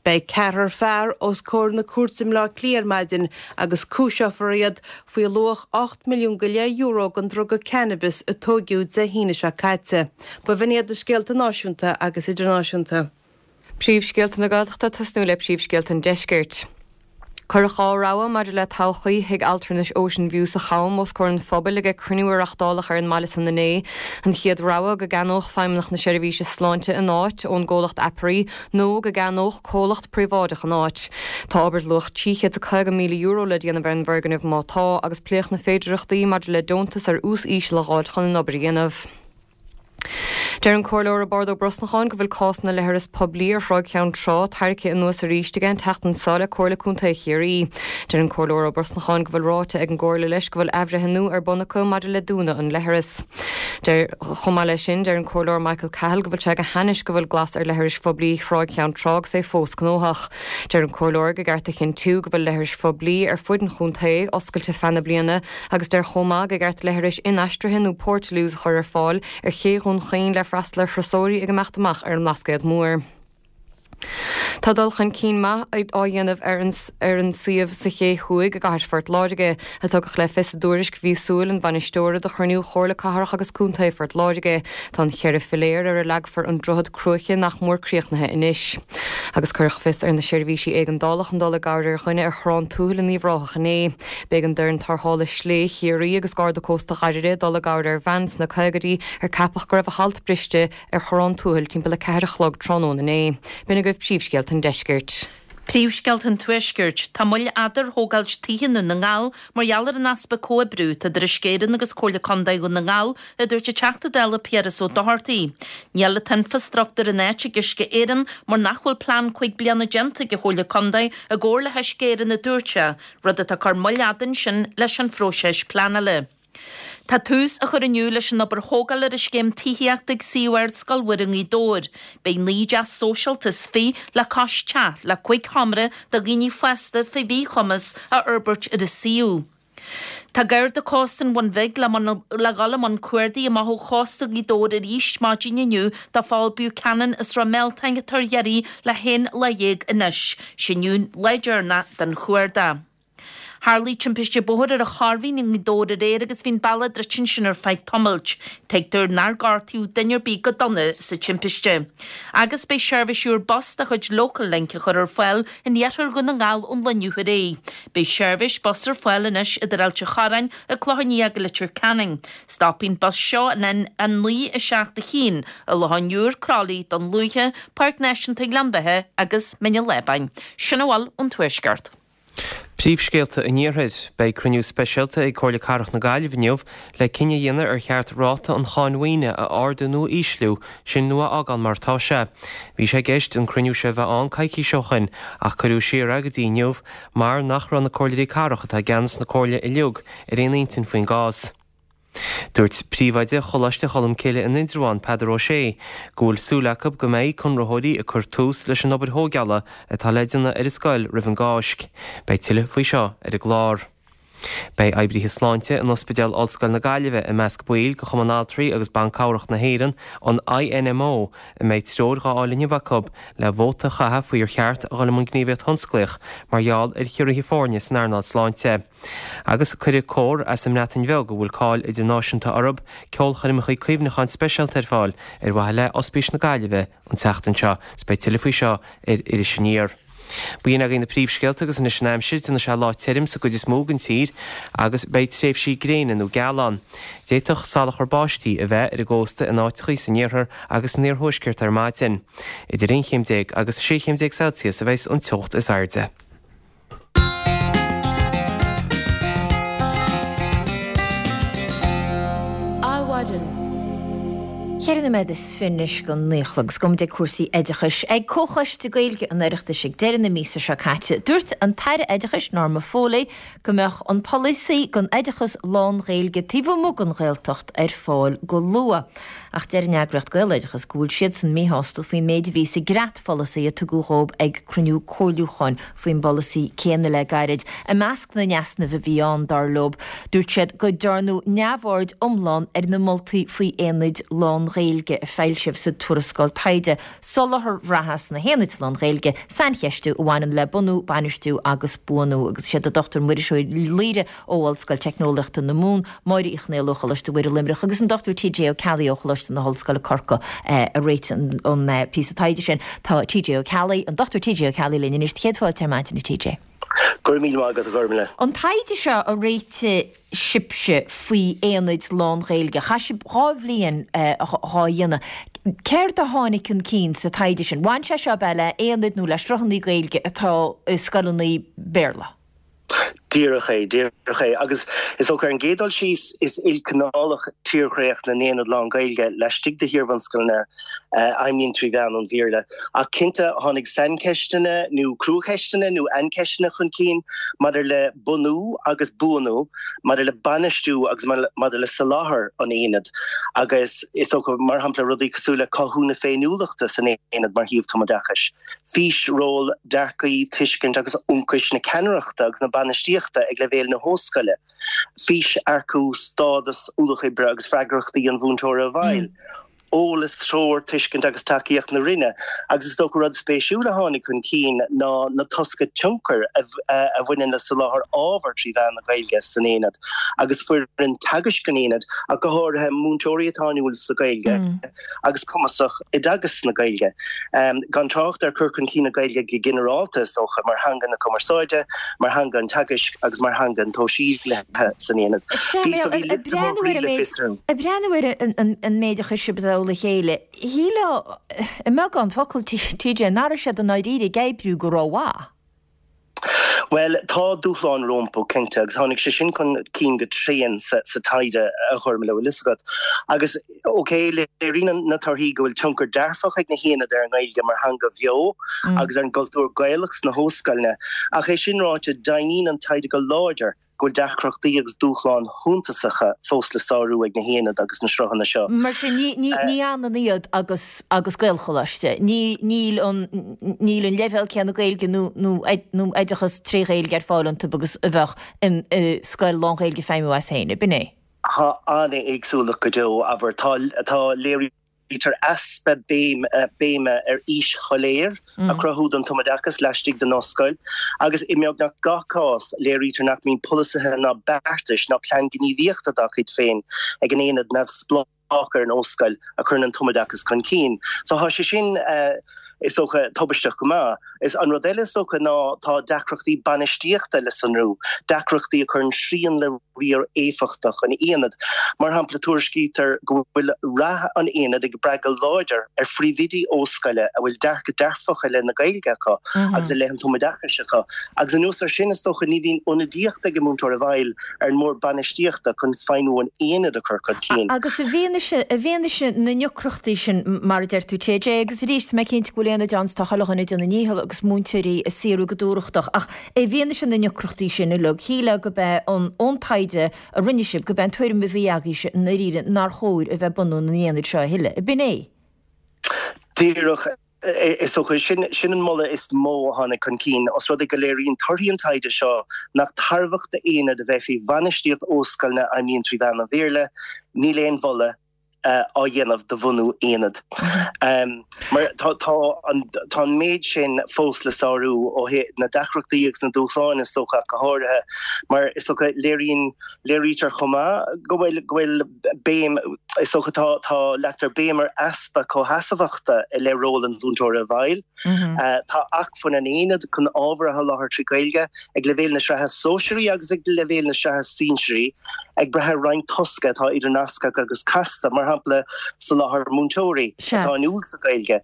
Beidh ceathrar fear os comhair na cúirte i mBleá Cliath ar maidin agus cúiseofar iad faoi luach €8 milliún go leith euro den druga cannabis a tóigeadh Dé hAoine seo caite. B'in iad na scéalta náisiúnta agus idirnáisiúnta. Príomhscéalta na Gaeltachta tosnú le príomhscéalta an Deiscirt. Cuireadh 2 rogha maidir le todhchaí Thigh Altranais Ocean View sa Cham os comhair an phobail ag cruinniú a reachtáladh ar an mbaile san inné. An chéad rogha, go gceannódh Feidhmeannacht na Seirbhíse Sláinte an áit ón gcomhlacht Aperi nó go gceannódh comhlacht príobháideach an áit. Tá obair luach €350,000 le déanamh ar an bhfoirgneamh má tá, agus pléadh na féidearthachtaí maidir le deontas ar ús íseal a dh'fháilt chun an obair a dhéanamh. Deir an Comhairleoir Roibeárd Ó Brosnacháin go bhfuil cás na leithreas poiblí ar Thráigh Cheann Trá tarraicthe anuas arís aige an tseachtain seo le Comhairle Contae Chiarraí. Deir an Comhairleoir Ó Brosnacháin go bhfuil ráite ag an gComhairle leis go bhfuil athbhreithniú ar bun acu maidir le dúnadh an leithreas. Deir Chomh maith leis sin, deir an Comhairleoir Michael Cahill go bhfuil sé go hainnis go bhfuil glas ar leithris phoiblí Thráigh Cheann Trá agus é fós gnóthach. Deir an Comhairleoir go gceart a chinntiú go bhfuil leithris phoiblí ar fuid an chontae oscailte feadh na bliana agus deir chomh maith go gceart leithris inaistrithe nó portaloos a chur ar fáil ar ché Dhún Chaoin le freastal ar thurasóirí ag imeacht amach ar an mBlascaod Mór. Tá dul chun cinn maith á dhéanamh ar an ar an suíomh sa Ché Thuaidh i gcathair Phort Láirge, a tugadh le fios i dtuairisc mhíosúil an bhainisteora do chruinniú Chomhairle Cathrach agus Contae Phort Láirge. Tá an cheithre philéar ar a leagfar an droichead cruaiche nach mór críochnaithe anois. Agus cuireadh fios ar na seirbhísí éigeandála chun dul i gcabhair ar dhuine ar Chorrán Tuathail in Uíbh Ráthach inné. B'éigean d'fhoireann tarrthála Slé Chiarraí agus Garda Cósta Dhoire dul i gcabhair ar bhean sna caogaidí ar ceapadh go raibh a halt briste ar Chorrán Tuathail timpeall 4 a chlog tráthnóna inné. B'in agaibh príomhscéalta an deiscirt. Príomhscéalta an Tuaiscirt, Tá moill fhada ar thógáilt tithe i nDún na nGall mar gheall ar an easpa comhoibriú atá idir Uisce Éireann agus Comhairle Contae Dhún na nGall, a dúirt an Teachta Dála Piaras Ó Dochartaigh. Níl an t-infreastruchtúr in áit ag Uisce Éireann mar nach bhfuil plean 5 bliana déanta ag an Chomhairle Contae i gcomhar le hUisce Éireann a dúirt sé, rud atá ag cur moill fhada ansin leis an phróiseas pleanála. Tá tús á chur inniu leis an obair thógála ar an scéim tithíochta ag suíomh Ardscoil Mhuire i nGaoth Dobhair. Beidh 19 dteach sóisialta is fi le cois teach le 5 sheomra do dhaoine fásta fé mhíchumas á fhorbairt ar an suíomh. Tá Garda Cósta an Bhun Bhig le le dhul i mbun cuardaigh amach ó chósta Ghaoth Dobhair arís maidin inniu do Phól Buchanan as Ráth Mealtain atá ar iarraidh le haon lá dhéag anois. Sé inniu lá deireanach den chuardach. Tharlaigh timpiste bóthair ar an Chorrmhín i nGaoth Dobhair aréir agus bhí an bealach druidte ansin ar feadh tamaill. Tuigtear nár gortaíodh duine ar bith go dona sa timpiste. Agus beidh seirbhís úr bus de chuid Local Link á chur ar fáil in iarthar Dhún na nGall ón lá inniu ar aghaidh. Beidh seirbhís bus ar fáil anois idir Ailt an Chorráin, An Clochán Liath agus Leitir Ceanainn. Stopfaidh an bus seo an N9 7 1 i Loch an Iúir, Croithlí, Dún Lúiche, Páirc Náisiúnta Ghleann Bheatha agus Mín an Lábáin. Sin a bhfuil ón Tuaisceart. Príomhscéalta an Iarthair. Beidh cruinniú speisialta ag Comhairle Cathrach na Gaillimhe inniu le cinneadh a dhéanamh ar cheart ráta an cháin mhaoine a ardú nó a ísliú, sin nó a fhágáil mar atá sé. Bhí sé i gceist an cruinniú seo a bheith ann coicís ó shoin ach cuireadh siar é go dtí inniu mar nach raibh na comhairleoirí cathrach atá i gceannas na comhairle uilig ar aon intinn faoin gcás. Dúirt príomhoide Choláiste Cholmcille in Indreabhán, Peadar Ó Sé, go bhfuil súil acu go mbeidh conraitheoirí ag cur tús leis an obair thóigeála atá le déanamh ar an scoil roimh an gCáisc. Beidh tuilleadh faoi seo ar an gclár. Beidh oibrithe sláinte in Ospidéal Ollscoil na Gaillimhe i measc baill de Chumann Altraí agus Ban Cabhrach na hÉireann, an INMO, a mbeidh treoir dhá fháil inniu acu le vóta a chaitheamh faoi ar cheart a dhul i mbun gníomhaíocht thionsclaíoch mar gheall ar chiorruithe foirne san earnáil sláinte. Agus cuirfidh cór as an mBreatain Bheag, a bhfuil cáil idirnáisiúnta orthu, ceolchoirmeacha cuimhneacháin speisialta ar fáil ar mhaithe le Ospís na Gaillimhe an tseachtain seo. Is beidh tuilleadh faoi seo ar Iris Aniar. B'in agaibh na príomhscéalta agus anois an aimsir, déanfaidh sé lá tirim sa gcuid is mó den tír agus beidh tréimhsí gréine nó geal ann. D'fhéadfadh salachar báistí a bheith ar an gcósta in áiteachaí san iarthar agus san iarthuaisceart ar maidin. Idir aon chéim déag agus sé chéim déag Celsius a bheas an teocht is airde. Adhmhaidin. Cheithre nóiméad is fi anois go naoi a chlog agus gabhfaidh muid ag cúrsaí oideachais. Ag Comhchoiste Gaeilge an Oireachtais ag deireadh na míosa seo caite, dúirt an tAire Oideachais Norma Foley go mbeadh an polasaí don oideachas lán-Ghaeilge taobh amuigh den Ghaeltacht ar fáil go luath. Ach deir an eagraíocht Gaeloideachas go bhfuil siadsan míshásta faoin méid a bhí sa gcreatpholasaí a tugadh dhóibh ag cruinniú comhairliúcháin faoin bpolasaí céanna le gairid. I measc na n-easnamh a bhí ann, dar leo, dúirt siad go dtearnadh neamhaird iomlán ar na moltaí faoi aonaid lán-Ghaeilge a foilsíodh sa tuarascáil taighde 'Soláthar Reatha sna hAonaid Lán-Ghaeilge, Saincheistiú a bhaineann le Bunú, Bainistiú agus Buanú' agus is iad an Dr Muiris Ó Laoire ó Ollscoil Teicneolaíochta na Mumhan, Máire Uí Chonaola ó Choláiste Mhuire Luimneach agus an Dr TJ Ó Ceallaigh ó Choláiste na hOllscoile Corcaigh a réitigh an píosa taighde sin. Tá TJ Ó Ceallaigh, an Dr TJ Ó Ceallaigh linn anois. Céad fáilte ar maidin a TJ. Go raibh míle maith agat a Ghormlaith. An taighde seo a réitigh sibhse faoi aonaid lán-Ghaeilge, chaith sibh dha bhliain dhá dhéanamh. Céard a tháinig chun cinn sa taighde sin? Bhain sé seo ab ea le haonaid nó le sruthanna Gaeilge atá i scoileanna Béarla? Díreach é, díreach é. Agus is dócha, ar an gcéad dul síos, is ilchineálach tírdhreach na n-aonad lán-Ghaeilge laistigh de hiarbhunscoileanna a fheidhmíonn trí mheán an Bhéarla. Ach cinnte, tháinig saincheisteanna nó cruacheisteanna nó aincheisteanna chun cinn maidir le bunú agus buanú, maidir le bainistiú agus maidir le soláthar an aonaid. Agus is dócha, mar shampla, rudaí cosúil le cothú na féiniúlachta san aonad mar shuíomh tumoideachais. fís, ról, dearcaí, tuiscint agus ionchais na ceannaireachta agus na bainistíochta ag leibhéal na hóstscoile, fís, earcú, stádas, ualach oibre agus freagrachtaí an mhúinteora i bhfeighil, eolas, treoir, tuiscint agus tacaíocht na Roinne. Agus is dócha rud spéisiúil a tháinig chun cinn ná na tosca tionchair a bhaineann le soláthar ábhar trí mheán na Gaeilge san aonad agus foireann teagaisc an aonaid, ach go háirithe múinteoirí atá inniúil sa Ghaeilge. agus cumasach i dteagasc na Gaeilge. Gan trácht ar chur chun cinn na Gaeilge go ginearálta, is dócha, mar theanga na cumarsáide, mar theanga an teagaisc agus mar theanga an tsóisialaithe san aonad. Bhí so bhí liosta mór groí le fiosrú. Ag breathnú ar an méid a chuir sibh i dtoll a chéile, shílfeá, i mbeagán focal, TJ, nach raibh siad i ndáiríre ag oibriú go rómhaith. Bhuel, tá dúshláin rompu, cinnte, agus tháinig sé sin chun cinn go tréan sa taighde, a Ghormfhlaith, bhfuil fhios agat. Agus, ok, léiríonn na torthaí go bhfuil tionchar dearfach ag na haonaid ar an nGaeilge mar theanga bheo agus ar an gcultúr Gaelach sna hóscoileanna, ach é sin ráite, deimhníonn an taighde go láidir go bhfuil deacrachtaí agus dúshláin shuntasacha fós le sárú ag na haonaid agus na sruthanna seo. Mar sin, ní, ní, ní ionann iad agus, agus Gaelcholáiste. Ní, níl an, níl an leibhéal céanna Gaeilge nó, nó, nó oideachas tré Ghaeilge ar fáil iontu agus a bheadh in, i scoil lán-Ghaeilge ag feidhmiú as féin, ab in é? Tá an-éagsúlacht go deo, abair. Tá, tá, léirítear easpa béime ar fhís shoiléir a chruthú don tumoideachas laistigh den ollscoil agus i mbeagnach gach cás léirítear nach mbíonn polasaithe ná beartais ná plean gníomhaíochta dá chuid féin ag an aonad neamhspleách ar an ollscoil a chuireann an tumoideachas chun cinn. So tá sé sin, is dócha, tubaisteach go maith. Is an rud eile is dócha ná tá deacrachtaí bainistíochta le sonrú, deacrachtaí a chuireann srian le riar éifeachtach an aonaid. Mar shampla, tuairiscítear go bhfuil rath an aonaid ag brath go láidir ar phríomhoidí ollscoile a bhfuil dearcadh dearfach i leith na Gaeilge acu agus i leith an tumoideachais acu. Agus anuas air sin, is dócha, ní bhíonn ionadaíocht ag an múinteoir i bhfeighil ar an mbord bainistíochta chun feidhmiú an aonaid a chur chun cinn. Agus i bhfianaise, i bhfianaise na ndeacrachtaí sin, mar a deir tú, TJ, agus arís, tá mé cinnte go bhfuil aonaid ann 's tá chuile dhuine ag déanamh a ndícheall agus múinteoirí ag saothrú go dúthrachtach, ach i bhfianaise na ndeacrachtaí sin uilig, shílfeá gurb é an, ón taighde a rinne sibh, gurb é an tuairim a bhí agaibhse i ndáiríre nár chóir a bheith ag bunú na n-aonad seo a thuilleadh. Ab in é? Díreach. Is dócha, sin an moladh is mó a tháinig chun cinn, os rud é go léiríonn torthaí an taighde seo nach tairbheach d'aonaid a bheith faoi bhainistíocht ollscoileanna a fheidhmíonn trí mheán an Bhéarla, níl aon mholadh á dhéanamh do bhunú aonad. Mar tá an méid sin fós le sárú ó thaobh na deacrachtaí agus na dúshláin is dócha ach go háirithe, mar is dócha léiríonn, léirítear chomh maith go bhfuil, go bhfuil, béim, is dócha tá, tá, leagtar béim ar easpa comhsheasmhachta i leith ról an mhúinteora i bhfeighil. Tá acmhainn an aonaid chun ábhar a sholáthar trí Ghaeilge ag leibhéal na sraithe sóisearaí agus ag leibhéal na sraithe sinsearaí ag brath ar roinnt tosca atá idirnasctha agus casta, mar shampla soláthar múinteoirí atá inniúil sa Ghaeilge,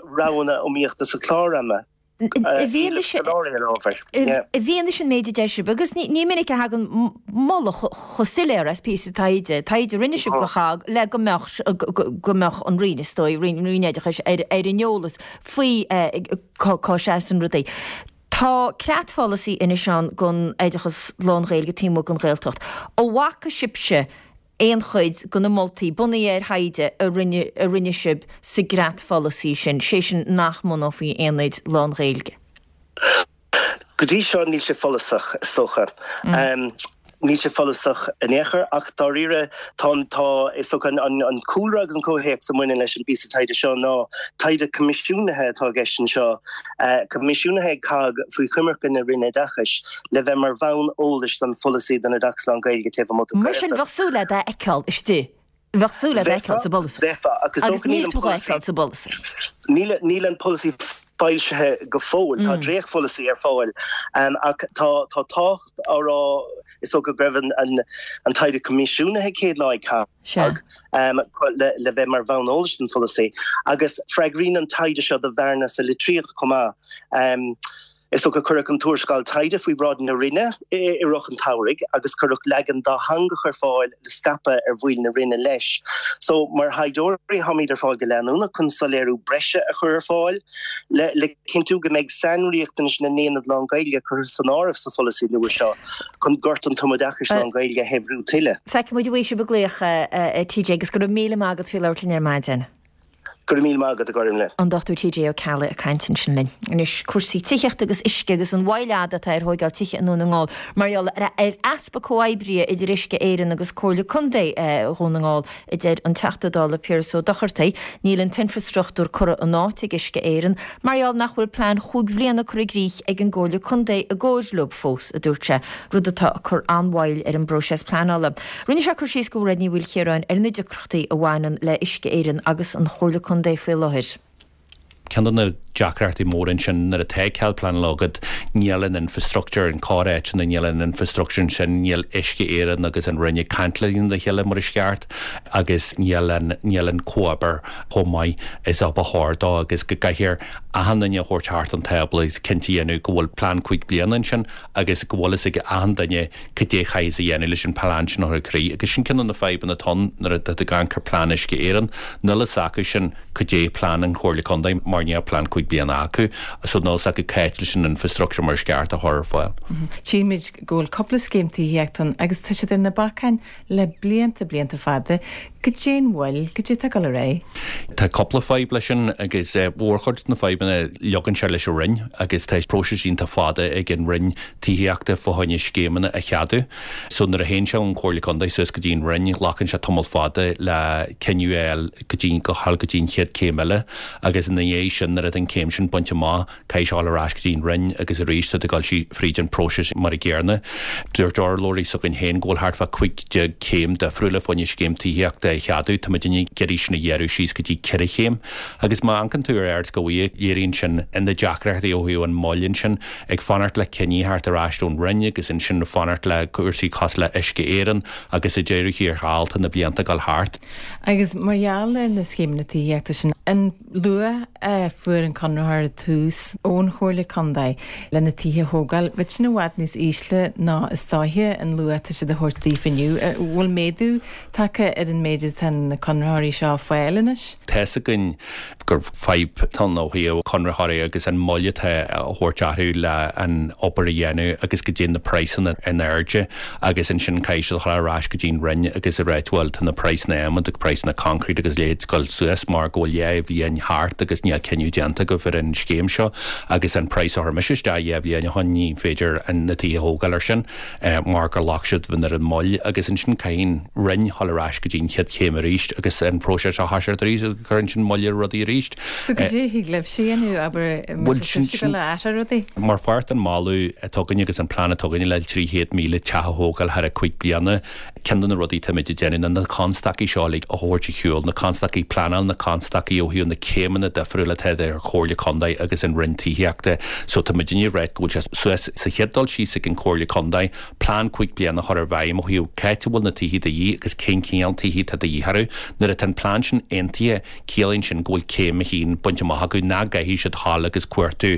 roghanna iomaíochta sa chlár ama. I bhfianaise I bhfianaise an méid a deir sibh, agus ní minic a thagann moladh chomh soiléir as píosa taighde, taighde a rinne sibh do CHOGG le go mbeadh go mbeadh an Roinn, is dóigh, Roinn Oideachais ar an eolas faoi cá seasann rudaí. Tá creatpholasaí anois ann don oideachas lán-Ghaeilge taobh amuigh den Ghaeltacht. An bhfaca sibhse aon chuid de na moltaí, bunaithe ar thaighde a rinne a rinne sibh sa gcreatpholasaí sin, sé sin nach mbunófaí aonaid lán-Ghaeilge? Go dtí seo níl sé follasach, is dócha. Níl sé follasach in aon chor ach dáiríre tá an, tá, is dócha an, an cúlra agus an comhthéacs a mbaineann leis an bpíosa taighde seo ná taighde coimisiúnaithe atá i gceist anseo, coimisiúnaithe ag COGG faoi choimirce na Roinne Oideachais le bheith mar bhonn eolais don pholasaí don oideachas lán-Ghaeilge taobh amuigh den Mar sin, Ghaeltacht. bheadh súil agat é a fheiceáil istigh, bheadh súil agat é a fheiceáil sa bpolasaí. Bheifeá, agus Agus dócha níl níl an tú dhá polasaí, fheiceáil sa bpolasaí. níl, níl an polasaí foilsithe go fóill, tá dréachtpholasaí ar fáil, ach tá, tá tábhacht á rá, is dócha go raibh an, an, an taighde coimisiúnaithe céad lá ag COGG. Sea. le bheith mar bhonn eolais don pholasaí, agus freagraíonn an taighde seo do bhearna sa litríocht chomh maith. Is dócha cuireadh an tuarascáil taighde faoi bhráid na Roinne i rith an tsamhraidh agus cuireadh leagan dátheangach ar fáil le scaipeadh ar bhaill na Roinne leis. So, mar thaighdeoirí, táimid ar fáil go leanúnach chun soiléiriú breise a chur ar fáil le cinntiú go mbeidh sainriachtanais na n-aonad lán-Ghaeilge curtha san áireamh sa pholasaí nua seo. chun gort an tumoideachais lán-Ghaeilge a shaibhriú tuilleadh. Feicfidh muid an bhfaighidh sibh ag glaoch, a TJ, agus go raibh míle maith agat faoi labhairt linn ar maidin. Go raibh míle maith agat, a Ghormfhlaith. An Dr TJ Ó Ceallaigh ag caint ansin linn. Anois, cúrsaí tithíochta agus uisce agus an mhoill fhada atá ar thóigeáil tithe i nDún na nGall mar gheall ar easpa comhoibrithe idir Uisce Éireann agus Comhairle Contae Dhún na nGall, a deir an Teachta Dála Piaras Ó Dochartaigh. Níl an t-infreastruchtúr curtha in áit ag Uisce Éireann mar gheall nach bhfuil plean chúig bhliana curtha i gcrích ag an gComhairle Contae i gcomhair leo fós, a dúirt sé, rud atá ag cur an-mhoill ar an bpróiseas pleanála. Rinne sé cur síos do Mhairéad Ní Mhaoilchiaráin ar na deacrachtaí a bhaineann le Uisce Éireann agus an Chomhairle Contae faoi láthair. Ceann de na deacrachtaí móra ansin nuair atá cead pleanála agat, níl an infrastructure, in corr-áiteanna níl an infrastructure ansin, níl Uisce Éireann agus an Roinn ag caint lena chéile mar is ceart agus níl an, níl an comhoibriú chomh maith is a ba chóir dó agus go gcaithfear. achan duine a thabhairt thart an tábla agus cinnte a dhéanamh go bhfuil plean 5 bliana ansin agus go bhfuil fhios ag achan duine cad é chaithfeas a dhéanamh leis an plean sin a chur i gcrích. Agus sin ceann de na fadhbanna atá ann nuair atá tú ag amharc ar plean Uisce Éireann, níl fhios acu sin cad é plean an Chomhairle Contae mar níl plean 5 bliana acu so níl fhios acu cá háit leis an infrastructure mar is ceart a chur ar fáil. Tchímid go bhfuil cúpla scéim tithíochta ann agus tá siad ar na bacáin le blianta, blianta fada. Goidé an mhoill, goidé atá ag dul ar aghaidh? Tá cúpla fadhb leis sin agus mhórchuid de na fadhbanna leagann sé leis an Roinn agus tá próiseas iontach fada ag an Roinn Tithíochta fá choinne scéimeanna a cheadú. So nuair a théann sé ón Chomhairle Contae suas go dtí an Roinn glacann sé tamall fada le cinneadh a fháil go dtí go dhul go dtí an chéad céim eile agus ina dhiaidh sin nuair atá an céim sin bainte amach Caithfidh sé dhul ar ais go dtí an Roinn agus arís tá tú ag dul fríd an próiseas mar a gcéarna. Dúirt urlabhraí s'againn féin go bhfuil thart fá 15 céim difriúla fá choinne scéim tithíochta a cheadú. Tá muidinne ag iarraidh sin a ghearradh síos go dtí 4 chéim. Agus má amharcann tú ar Ard Ghaoithe, léiríonn sin na deacrachtaí ó thaobh an moill ansin, ag fanacht le cinní a theacht ar ais ón Roinn agus ansin ag fanacht le cúrsaí cosúil le Uisce Éireann agus sa deireadh thiar thall tá na blianta ag dul thart. Agus mar gheall ar na scéimeanna tithíochta sin, an. luach a fuair an conraitheoir i dtús ón Chomhairle Contae le na tithe a thógáil, bheadh sin i bhfad níos ísle ná is dóiche an luach atá siad a thabhairt daofa inniu. An bhfuil méadú tagtha ar an méid atá na conraitheoirí seo a fáil anois? Tá's againn gur fadhb atá ann ó thaobh conraitheoirí agus an moill atá á thabhairt orthu le an obair a dhéanamh agus go dtéann na praghsanna in airde agus ansin caithfidh siad a dhul ar ais go dtí an Roinn agus a ráit bhuel tá na praghsanna adhmaid agus praghsanna concrete agus leithéid ag dul suas mar go bhfuil 2 bhliain thart agus níl cinneadh déanta agaibh ar an scéim seo agus an praghas a chuir mise isteach 2 bhliain ó shin ní féidir na tithe a thógáil ar sin mar gur ghlac sibh ar an moill agus ansin caithfidh an Roinn dhul ar ais go dtí an chéad chéim arís agus an próiseas a thoiseacht arís agus cuireann sin moill ar rudaí arís. So goidé a thig libhse a dhéanamh, abair, má tá sibhse ag dul a athrú rudaí? Mar pháirt den mholadh atá againne agus an plean atá againne le 300,000 teach a thógáil thar a 5 bliana, ceann de na rudaí atáimid ag déanamh ná na constaicí seo uilig a thabhairt ar shiúl, na constaicí pleanála, na constaicí ó thaobh na céimeanna difriúla atá idir an Chomhairle Contae agus an Roinn Tithíochta. So tá muidinne ag ráit go bhfuil sé suas sa chéad dul síos ag an Chomhairle Contae plean 5 bliana a chur i bhfeidhm ó thaobh cá háit a bhfuil na tithe de dhíth agus cén cineál tithe atá de dhíth orthu. Nuair atá an plean sin aontaithe, Ciallaíonn sin go bhfuil céim a haon bainte amach acu, nach gcaithfidh siad dhul agus cuartú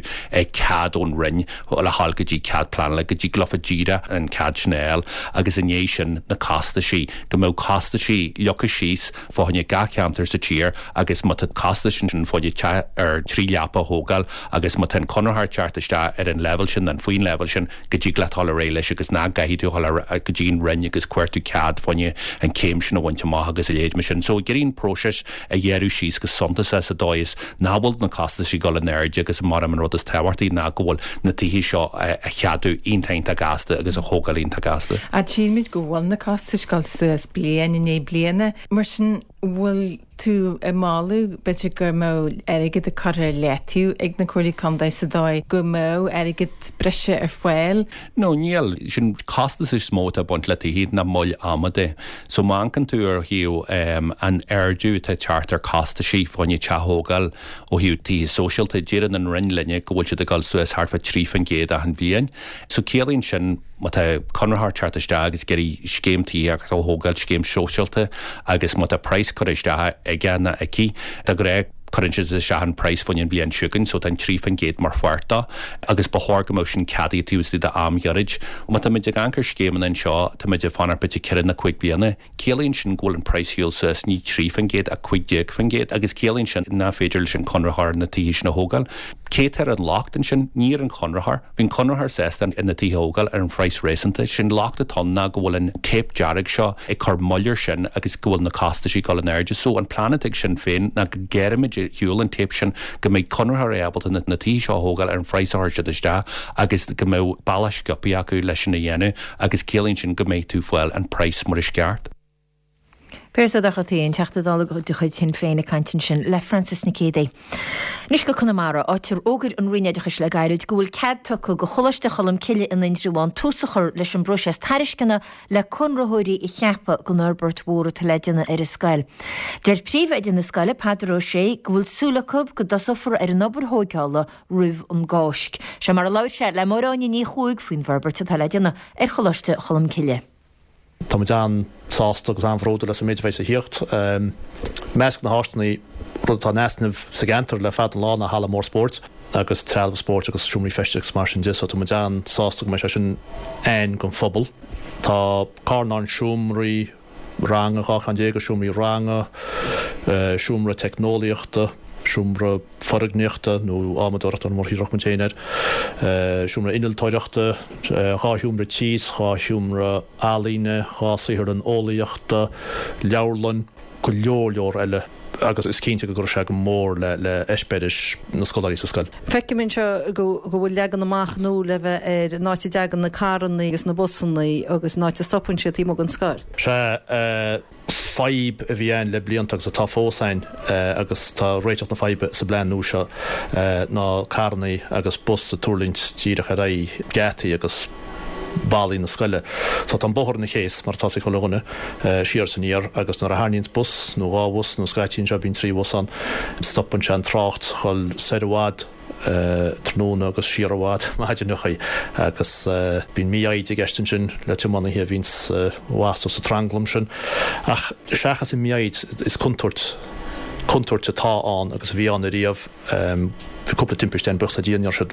cead ón Roinn le dhul go dtí cead pleanála, go dtig leofa díreach an cead sin a fháil agus i ndiaidh sin na costaisí, go mbeadh costaisí leagtha síos fá choinne gach ceantar sa tír agus má tá costais ansin fá choinne teach ar thrí leapa a thógáil agus má tá an conraitheoir ag teacht isteach ar an leibhéal sin nó faoin leibhéal sin, go dtig leat dul ar aghaidh leis agus nach gcaithfidh tú a dhul go dtí an Roinn agus cuartú cead fá choinne an céim sin a bhaint amach agus a leithéid mar sin. So ag iarraidh an próiseas a ghearradh síos go suntasach sa dóigh is nach bhfuil na costais ag dul in airde agus mar an rud is tábhachtaí ná go bhfuil na tithe seo a cheadú iontach iontach gasta agus a thógáil iontach gasta. Ach tchímid go bhfuil na costais ag dul suas bliain i ndiaidh bliana. Mar sin, bhfuil tú ag moladh, b'fhéidir go mbeadh airgead curtha ar leataobh ag na Comhairlí Contae sa dóigh go mbeadh airgead breise ar fáil? No, níl. Sin costas is mó atá ag baint le tithe ná moill ama de. So má amharcann tú ar thaobh an ardú atá ag teacht ar costaisí fá choinne teach a thógáil ó thaobh tithe sóisialta, deireann an Roinn linne go bhfuil siad ag dul suas thart fá 3% achan bhliain. So ciallaíonn sin má tá conraitheoir ag teacht isteach agus ag iarraidh scéim tithíochta a thógáil, scéim shóisialta, agus má tá praghas curtha isteach aige nó aici, de ghnáth cuireann siad isteach an praghas fá choinne an bhliain seo chugainn, so tá an 3% mar pháirt dó, agus ba chóir go mbeadh sin ceadaithe taobh istigh d'am ghiorraid. Má tá muid ag amharc ar scéimeanna anseo, tá muid ag fanacht b'fhéidir 4 nó 5 bliana, Ciallaíonn sin go bhfuil an praghas ar shiúl suas ní 3% ach 15% agus ciallaíonn sin nach féidir leis an chonraitheoir na tithe sin a thógáil. Cé atá ar an locht ansin? Ní ar an chonraitheoir. Bhí an conraitheoir sásta na tithe a thógáil ar an phraghas réasúnta. Sé'n locht atá ann ná go bhfuil an téip dearg seo ag cur moill air sin agus go bhfuil na costaisí ag dul in airde. So an plean atá ag Sinn Féin ná go gearrfaimid ar shiúl an téip sin, go mbeidh conraitheoirí ábalta na tithe seo a thógáil ar an phraghas a chuir siad isteach agus go mbeadh bealach sciobtha acu leis sin a dhéanamh. agus ciallaíonn sin go mbeidh tú fáil an praghas mar is ceart. Piaras Ó Dochartaigh, an Teachta Dála de chuid Shinn Féin ag caint ansin le Frances Nic Géadaigh. Anois go Conamara, áit ar fhógair an Roinn Oideachais le gairid go bhfuil cead tugtha do Choláiste Cholm Cille in Indreabhán tús a chur leis an bpróiseas tairisceana le conraitheoirí a cheapadh don fhorbairt mhór atá le déanamh ar an scoil. Deir príomhoide na scoile, Peadar Ó Sé, go bhfuil súil acu go dtosófar ar an obair thóigeála roimh an gCáisc. Seo mar a labhair sé le Máire Áine Ní Chuaig faoin bhforbairt atá le déanamh ar Choláiste Cholm Cille. Táimid an-sásta agus an-bhródúil as an méid a bheidh a thíocht. I measc na háiseanna. Rud atá in easnamh sa gceantar le fada an lá ná halla mór spóirt agus trealamh spóirt agus seomraí feistis agus mar sin de so tá muid an-sásta go mbeidh sé sin ann don phobal. Tá carnán seomraí ranga, 12 cheann de seomraí ranga, seomra teicneolaíochta, seomra foirgníochta nó adhmadóireachta mar a thiúrfadh muid féin air, seomra innealtóireachta, 2 sheomra tíos, 2 sheomra ealaíne, 2 saotharlann eolaíochta, leabharlann, go leor leor eile agus is cinnte go gcuirfidh sé go mór le heispéiris na scoláirí sa scoil. Feicim anseo go bhfuil leagan amach nua le bheith ar an áit a dtagann na carranna agus na busanna agus an áit a stopann siad taobh amuigh den scoil. Sea, fadhb a bhí ann le blianta agus atá fós ann agus tá réiteach na faidhbe sa bplean nua seo ná carranna agus bus ag tuirlingt díreach ar aghaidh geataí agus ballaí na scoile. So tá an bóthar ina chéas, mar atá ag chuile dhuine, siar is aniar agus nuair a tharraingíonns bus nó 2 bhus nó scaití anseo bíonn 3 bhus ann, stopann sé an trácht dhul soir i bhfad tráthnóna agus siar i bhfad maidineachaí agus bíonn mífhoighde i gceist ansin le tiománaithe a bhíonns wastú sa tranglam sin. Ach seachas an mhífhoighid is contúirt, contúirt atá ann agus a bhí ann ariamh. Bhí cúpla timpiste ann, buíochas le Dia ní raibh siad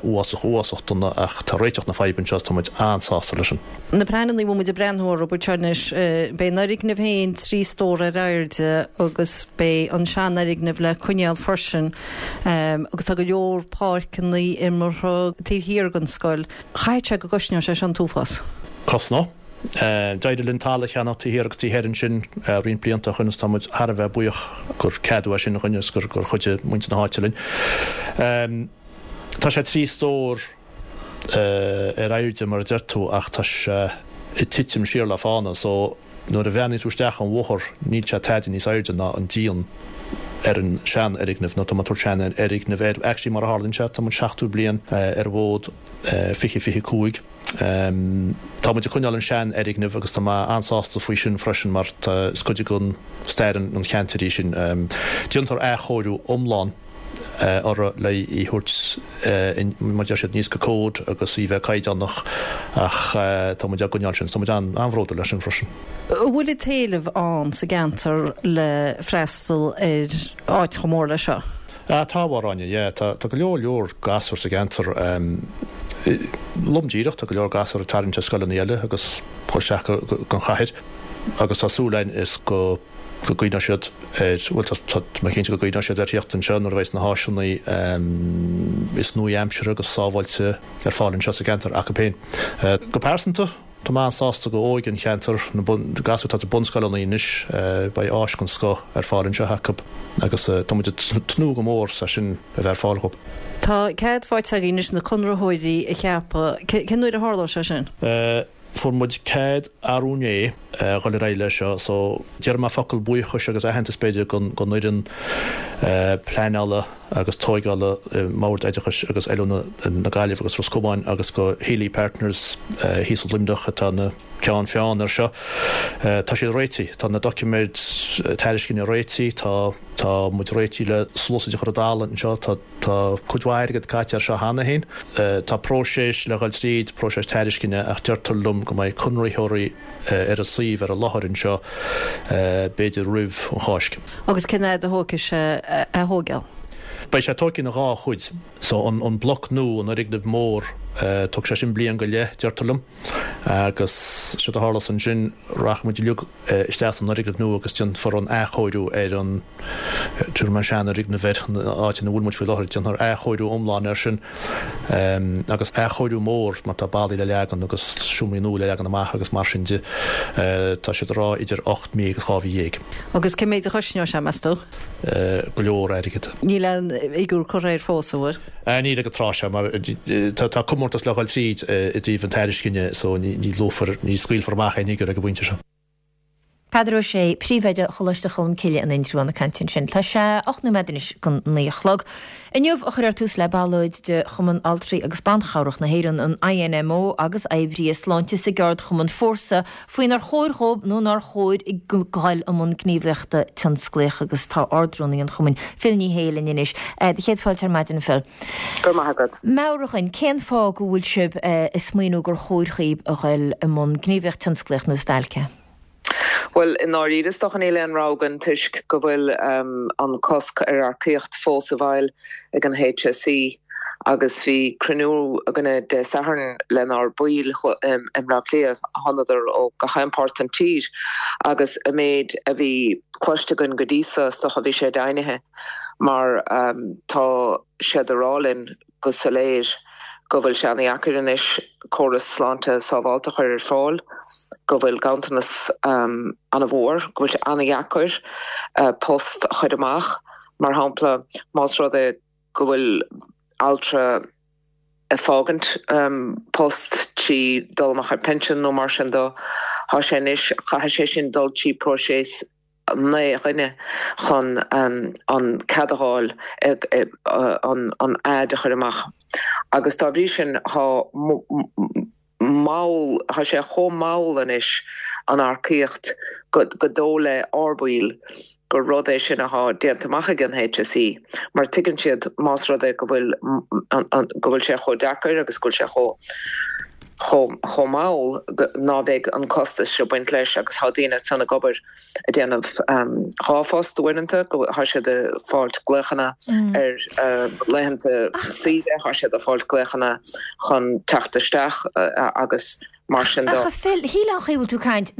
uafásach uafásach dona ach tá réiteach na faidhbe anseo is tá muid an-sásta leis sin. Na pleananna a bhfuil muid ag breathnú orthu anseo anois, beidh an fhoirgneamh féin 3 stór ar airde agus beidh an seanfhoirgneamh le coinneáil freisin agus tá go leor páirceanna imeartha taobh thiar den scoil. Chaithfeadh sé go gcosnóidh sé seo an t-uafás. Cosnóidh. D'éirigh linn talamh a cheannach taobh thiar agus taobh thoir ansin roinnt blianta ó shoin agus tá muid thar a bheith buíoch gur ceadú é sin dhúinn agus gur chuidigh muintir na háite linn. Tá sé 3 stór ar airde mar a deir tú ach tá sé ag titim siar le fána so nuair a bhreathnaíonn tú isteach ón bhóthar níl sé tada níos airde ná an díon ar an seanfhoirgneamh nó tá mé ag tabhairt seanfhoirgneamh air actually mar a tharlaíonn sé tá muid 70 bliain ar an bhfód 2025. Tá muid ag coinneáil an seanfhoirgneamh agus tá mé an-sásta faoi sin freisin mar is cuid den stair an cheantair í sin. Déantar athchóiriú iomlán orthu le í a thabhairt mar a deir siad aníos go cód agus í bheith caighdeánach ach tá muid á gcoinneáil sin. Tá muid an-bhródúil as sin freisin. An bhfuil an t-éileamh ann sa gceantar le freastal ar áit chomh mór leis seo? Ah tá, a Ghráinne, yeah, tá, tá go leor leor gasúr sa gceantar, lom díreach, tá go leor gasúr ag tarraingt ar scoileanna eile agus dhul isteach go, go, gon chathair agus tá súil againn is go, go gcuimhneoidh siad ar, bhuel tá, tá, tá mé cinnte go gcuimhneoidh siad ar thíocht anseo nuair a bheidh na háiseanna is nua-aimseartha agus sábháilte ar fáil anseo sa gceantar acu féin. Go pearsanta, Tá mé an-sásta do óige an cheantair, na gasúir atá sna bunscoileanna anois, beidh áis den scoth ar fáil anseo acu agus tá muid ag tnúth go mór leis sin a bheith ar fáil dhóibh. Tá cead faighte agaibh anois na conraitheoirí a cheapadh. Cén uair a tharlóidh sé sin? Fuair muid cead arú inné a dhul ar aghaidh leis seo so déarfaidh mé focal buíochais agus aitheantas b'fhéidir don fhoireann pleanála agus tóigeála i mBord Oideachais agus Oiliúna na Gaillimhe agus Ros Comáin agus go Healy Partners thíos i Luimneach atá ina gceann feadhain ar seo. Tá siad réitithe, tá na doiciméid tairisceana réitithe, tá tá muid réitithe le sluasaid a chur i dtalamh anseo, tá tá cuid mhaith airgead caite ar seo cheana féin. Tá próiseas le dhul tríd, próiseas tairisceana, ach deirtear liom go mbeidh conraitheoirí ar an suíomh ar an láthair anseo b'fhéidir roimh an Cháisc. Agus cén fhad a thógfaidh sé a thóigeáil? Beidh sé tógtha ina dhá chuid. So an bloc nua, an fhoirgneamh mór, tógfaidh sé sin bliain go leith, deirtear liom. Agus séard a tharlós ansin, rachaidh muid uilig isteach san fhoirgneamh nua agus déanfar an athchóiriú ar an, tabharfaidh mé an seanfhoirgneamh air, an áit ina bhfuil muid faoi láthair, déanfar athchóiriú iomlán air sin agus athchóiriú mór mar tá ballaí le leagan agus seomraí nua le leagan amach agus mar sin de. Tá siad ag rá idir 8 mí agus 12 mhí. Agus cé méid a chosnóidh sé, meas tú? Go leor airgid. Níl aon fhigiúr curtha air fós, an bhfuil? Níl ag an tráth seo mar tá comórtas le dhul tríd i dtaobh an tairiscine so ní luafar, ní scaoilfear amach aon fhigiúr ag an bpointe seo. Peadar Ó Sé, Príomhoide Choláiste Cholmcille in Indreabhán ag caint ansin. Tá sé 8 nóiméad anois don 9 a chlog. Inniu a chuirfear tús le ballóid de Chumann Altraí agus Ban Chabhrach na hÉireann, an INMO, agus oibrithe sláinte sa gceardchumann Fórsa faoinar chóir dhóibh nó nár chóir dul i mbun gníomhaíochta tionsclaíoch agus tá Ard-Rúnaí an chumainn, Phil Ní Sheaghdha linn anois. Do chéad fáilte ar maidin, a Phil. Go raibh maith agat. Meabhraigh dhuinn, cén fáth go bhfuil sibh ag smaoineamh gur chóir dhaoibh a dhul i mbun gníomhaíocht tionsclaíoch nó stailce? Bhuel, i ndáiríre is dócha níl aon rogha againn toisc go bhfuil an cosc ar earcaíocht fós i bhfeighil ag an HSE agus bhí cruinniú againne Dé Sathairn lenár baill i mBleá Cliath, thánadar ó gach aon páirt den tír agus an méid a bhí cloiste againn go dtí so is dócha bhí sé deimhnithe mar tá siad a rá linn go soiléir go bhfuil sé ana-dheacair anois córas sláinte sábhálta a chur ar fáil, go bhfuil ganntanas ana-mhór, go bhfuil sé ana-dheacair post a chur amach. Mar shampla, más rud é go bhfuil altra ag fágaint post trí dul amach ar pinsean nó mar sin dó, tá sé anois, caithfidh sé sin dul trí próiseas 9 dhuine chun an cead a fháil an ad a chur amach agus dá bhrí sin tá mall, tá sé chomh mall anois an earcaíocht go dóigh le ár baill gur rud é sin atá déanta amach ag an HSE mar tuigeann siad más rud é go bhfuil go bhfuil sé chomh deacair agus go bhfuil sé chomh chomh mall ná bheidh an costas seo baint leis agus tá daoine ansan ag obair ag déanamh 2 phost uaireanta, tá siad ag fáilt glaochanna ar laethanta saoire, tá siad ag fáilt glaochanna chun teacht isteach agus mar sin de. Ach a Phil, shílfeá an chaoi a bhfuil tú ag caint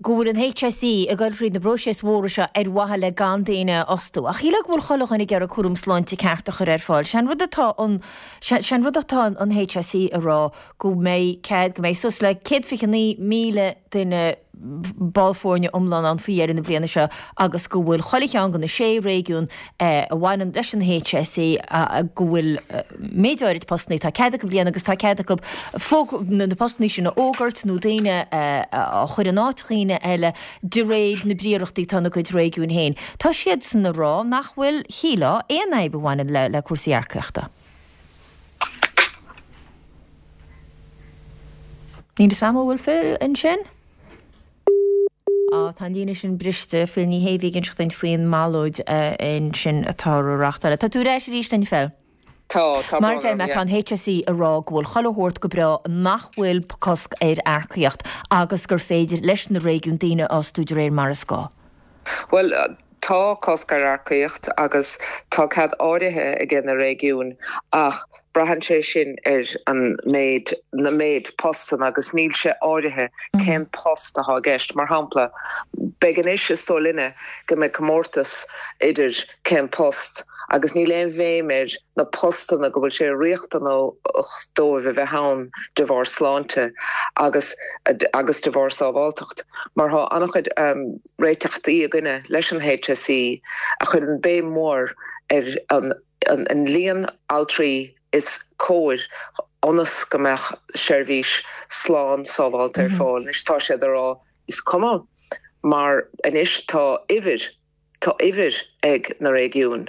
go bhfuil an HSE ag dul thríd na bpróiseas mhóra seo ar mhaithe le gan daoine a fhostú. Ach shílfeá go bhfuil chuile dhuine ag iarraidh cúram sláinte ceart a chur ar fáil. Sé an rud atá an Sé an rud atá an HSE a rá go mbeidh cead, go mbeidh suas le 129,000 duine ball foirne iomlán ann faoi dheireadh na bliana seo agus go bhfuil chuile cheann de na sé réigiún a bhaineann leis an HSE go bhfuil méid áirid postannaí atá cead acu a líonadh agus tá cead acu na postannaí sin a fhógairt nó daoine a chur in áit dhaoine eile de réir na bpríorachtaí atá ina gcuid réigiúin féin. Tá siadsan a rá nach bhfuil, shílfeá, aon fhadhb a bhaineann le cúrsaí earcaíochta. Níl fhios a'm an bhfuil Phil ansin? Á, tá an líne sin briste. Phil Ní Shé a bhí ag inseacht dúinn faoin mballóid ansin atá á reáchtáil. Tá tú ar ais arís linn, Phil? Tá, tá Mar a brón deir orm, mé, yeah. tá an HSE ag rá go bhfuil chuile shórt go breá, nach bhfuil cosc ar earcaíocht agus gur féidir leis na réigiúin daoine a fhostú de réir mar is gá. Bhuel, tá cosc ar earcaíocht agus tá cead áirithe aige na réigiúin ach braitheann sé sin ar an méid, na méid postanna agus níl sé áirithe cén post atá i gceist. Mar shampla, beidh anois is dóigh linne go mbeidh comórtas idir cén post agus níl aon bhéim ar na postanna go bhfuil sé riachtanach dóibh a bheith ann de bharr sláinte agus agus de bharr sábháilteacht mar tá an-chuid réiteachtaí againne leis an HSE a chuireann béim mhór ar an an líon altraí is cóir ionas go mbeadh seirbhís slán sábháilte ar fáil. Anois tá siad ag rá is cuma mar anois tá uimhir Tá uimhir ag na réigiúin,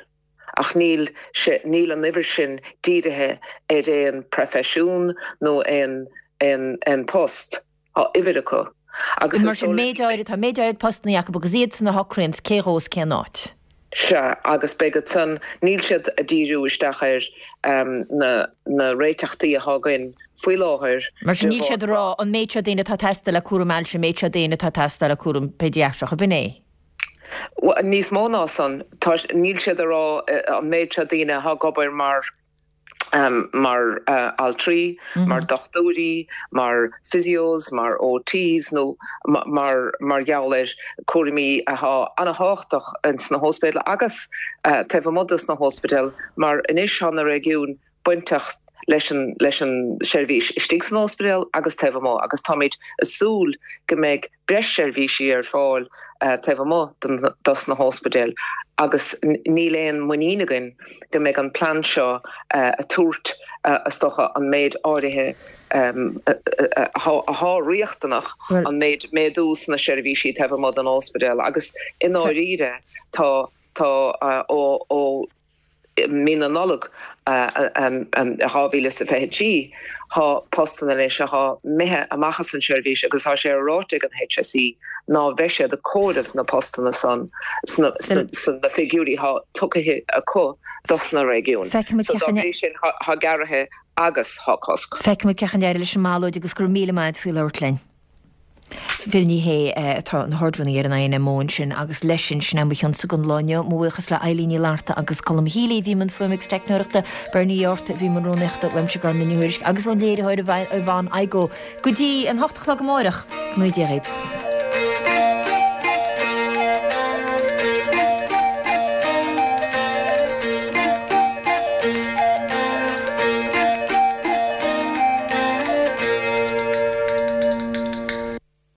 ach níl sé, níl an uimhir sin dírithe ar aon proifisiún nó aon, aon, aon post. Tá uimhir acu. Agus is dóigh. Mar sin, méid áirid, tá méid áirid postannaí acu agus iadsan a shocraíonns cé dhó is cén áit. Sea, agus beidh ansan, níl siad ag díriú isteach ar na, na réiteachtaí atá againn faoi láthair Mar sin, níl siad ag rá an méid seo daoine atá ag teastáil le cúram ailse, an méid seo daoine atá ag teastáil le cúram péidiatrach, ab in é? Níos mó ná san, tá, níl siad ag rá an méid seo daoine atá ag obair mar, mar altraí, mar dochtúirí, mar physios, mar OTs nó mar, mar gheall ar cúraimí atá an-thábhachtach ins na hóspidéil agus taobh amuigh dos na hóspidéil mar anois tá na réigiúin bainteach leis an leis an seirbhís istigh san ospidéal agus taobh amuigh agus táimid ag súil go mbeidh breis seirbhísí ar fáil taobh amuigh dos na hóspidéil agus níl aon muinín againn go mbeidh an plean seo ag tabhairt is dócha an méid áirithe athá riachtanach an méid méadú sna seirbhísí taobh amuigh den ospidéal agus i ndáiríre tá tá ó ó mí na Nollag 2023, tá postanna anois athá imithe amach as an seirbhís agus tá sé ráite ag an HSE ná bheidh siad ag comhaireamh na postanna san sna figiúirí athá tugtha acu dos na réigiúin. So dá bhrí sin tá gearraithe agus tá cosc. Feicfimid cén chaoi a n-éireoidh leis an mballóid agus go raibh míle maith agat faoi labhairt linn. Phil Ní Sheaghdha atá ina hArd-Rúnaí ar an INMO ansin agus leis sin, sin é mo chionsa don lá inniu. Mo bhuíochas le Eileen Ní Fhlatharta agus Colm Healy a bhí i mbun fuaime agus teicneoireachta, Bernie Uí Fhátharta a bhí i mbun rúnaíochta, uaimse Gormlaith Ní Thuairisg agus ón léiritheoir Yvonne Igoe. Go dtí an hocht a chlog amáireach, go ngnóthaí Dia dhaoibh.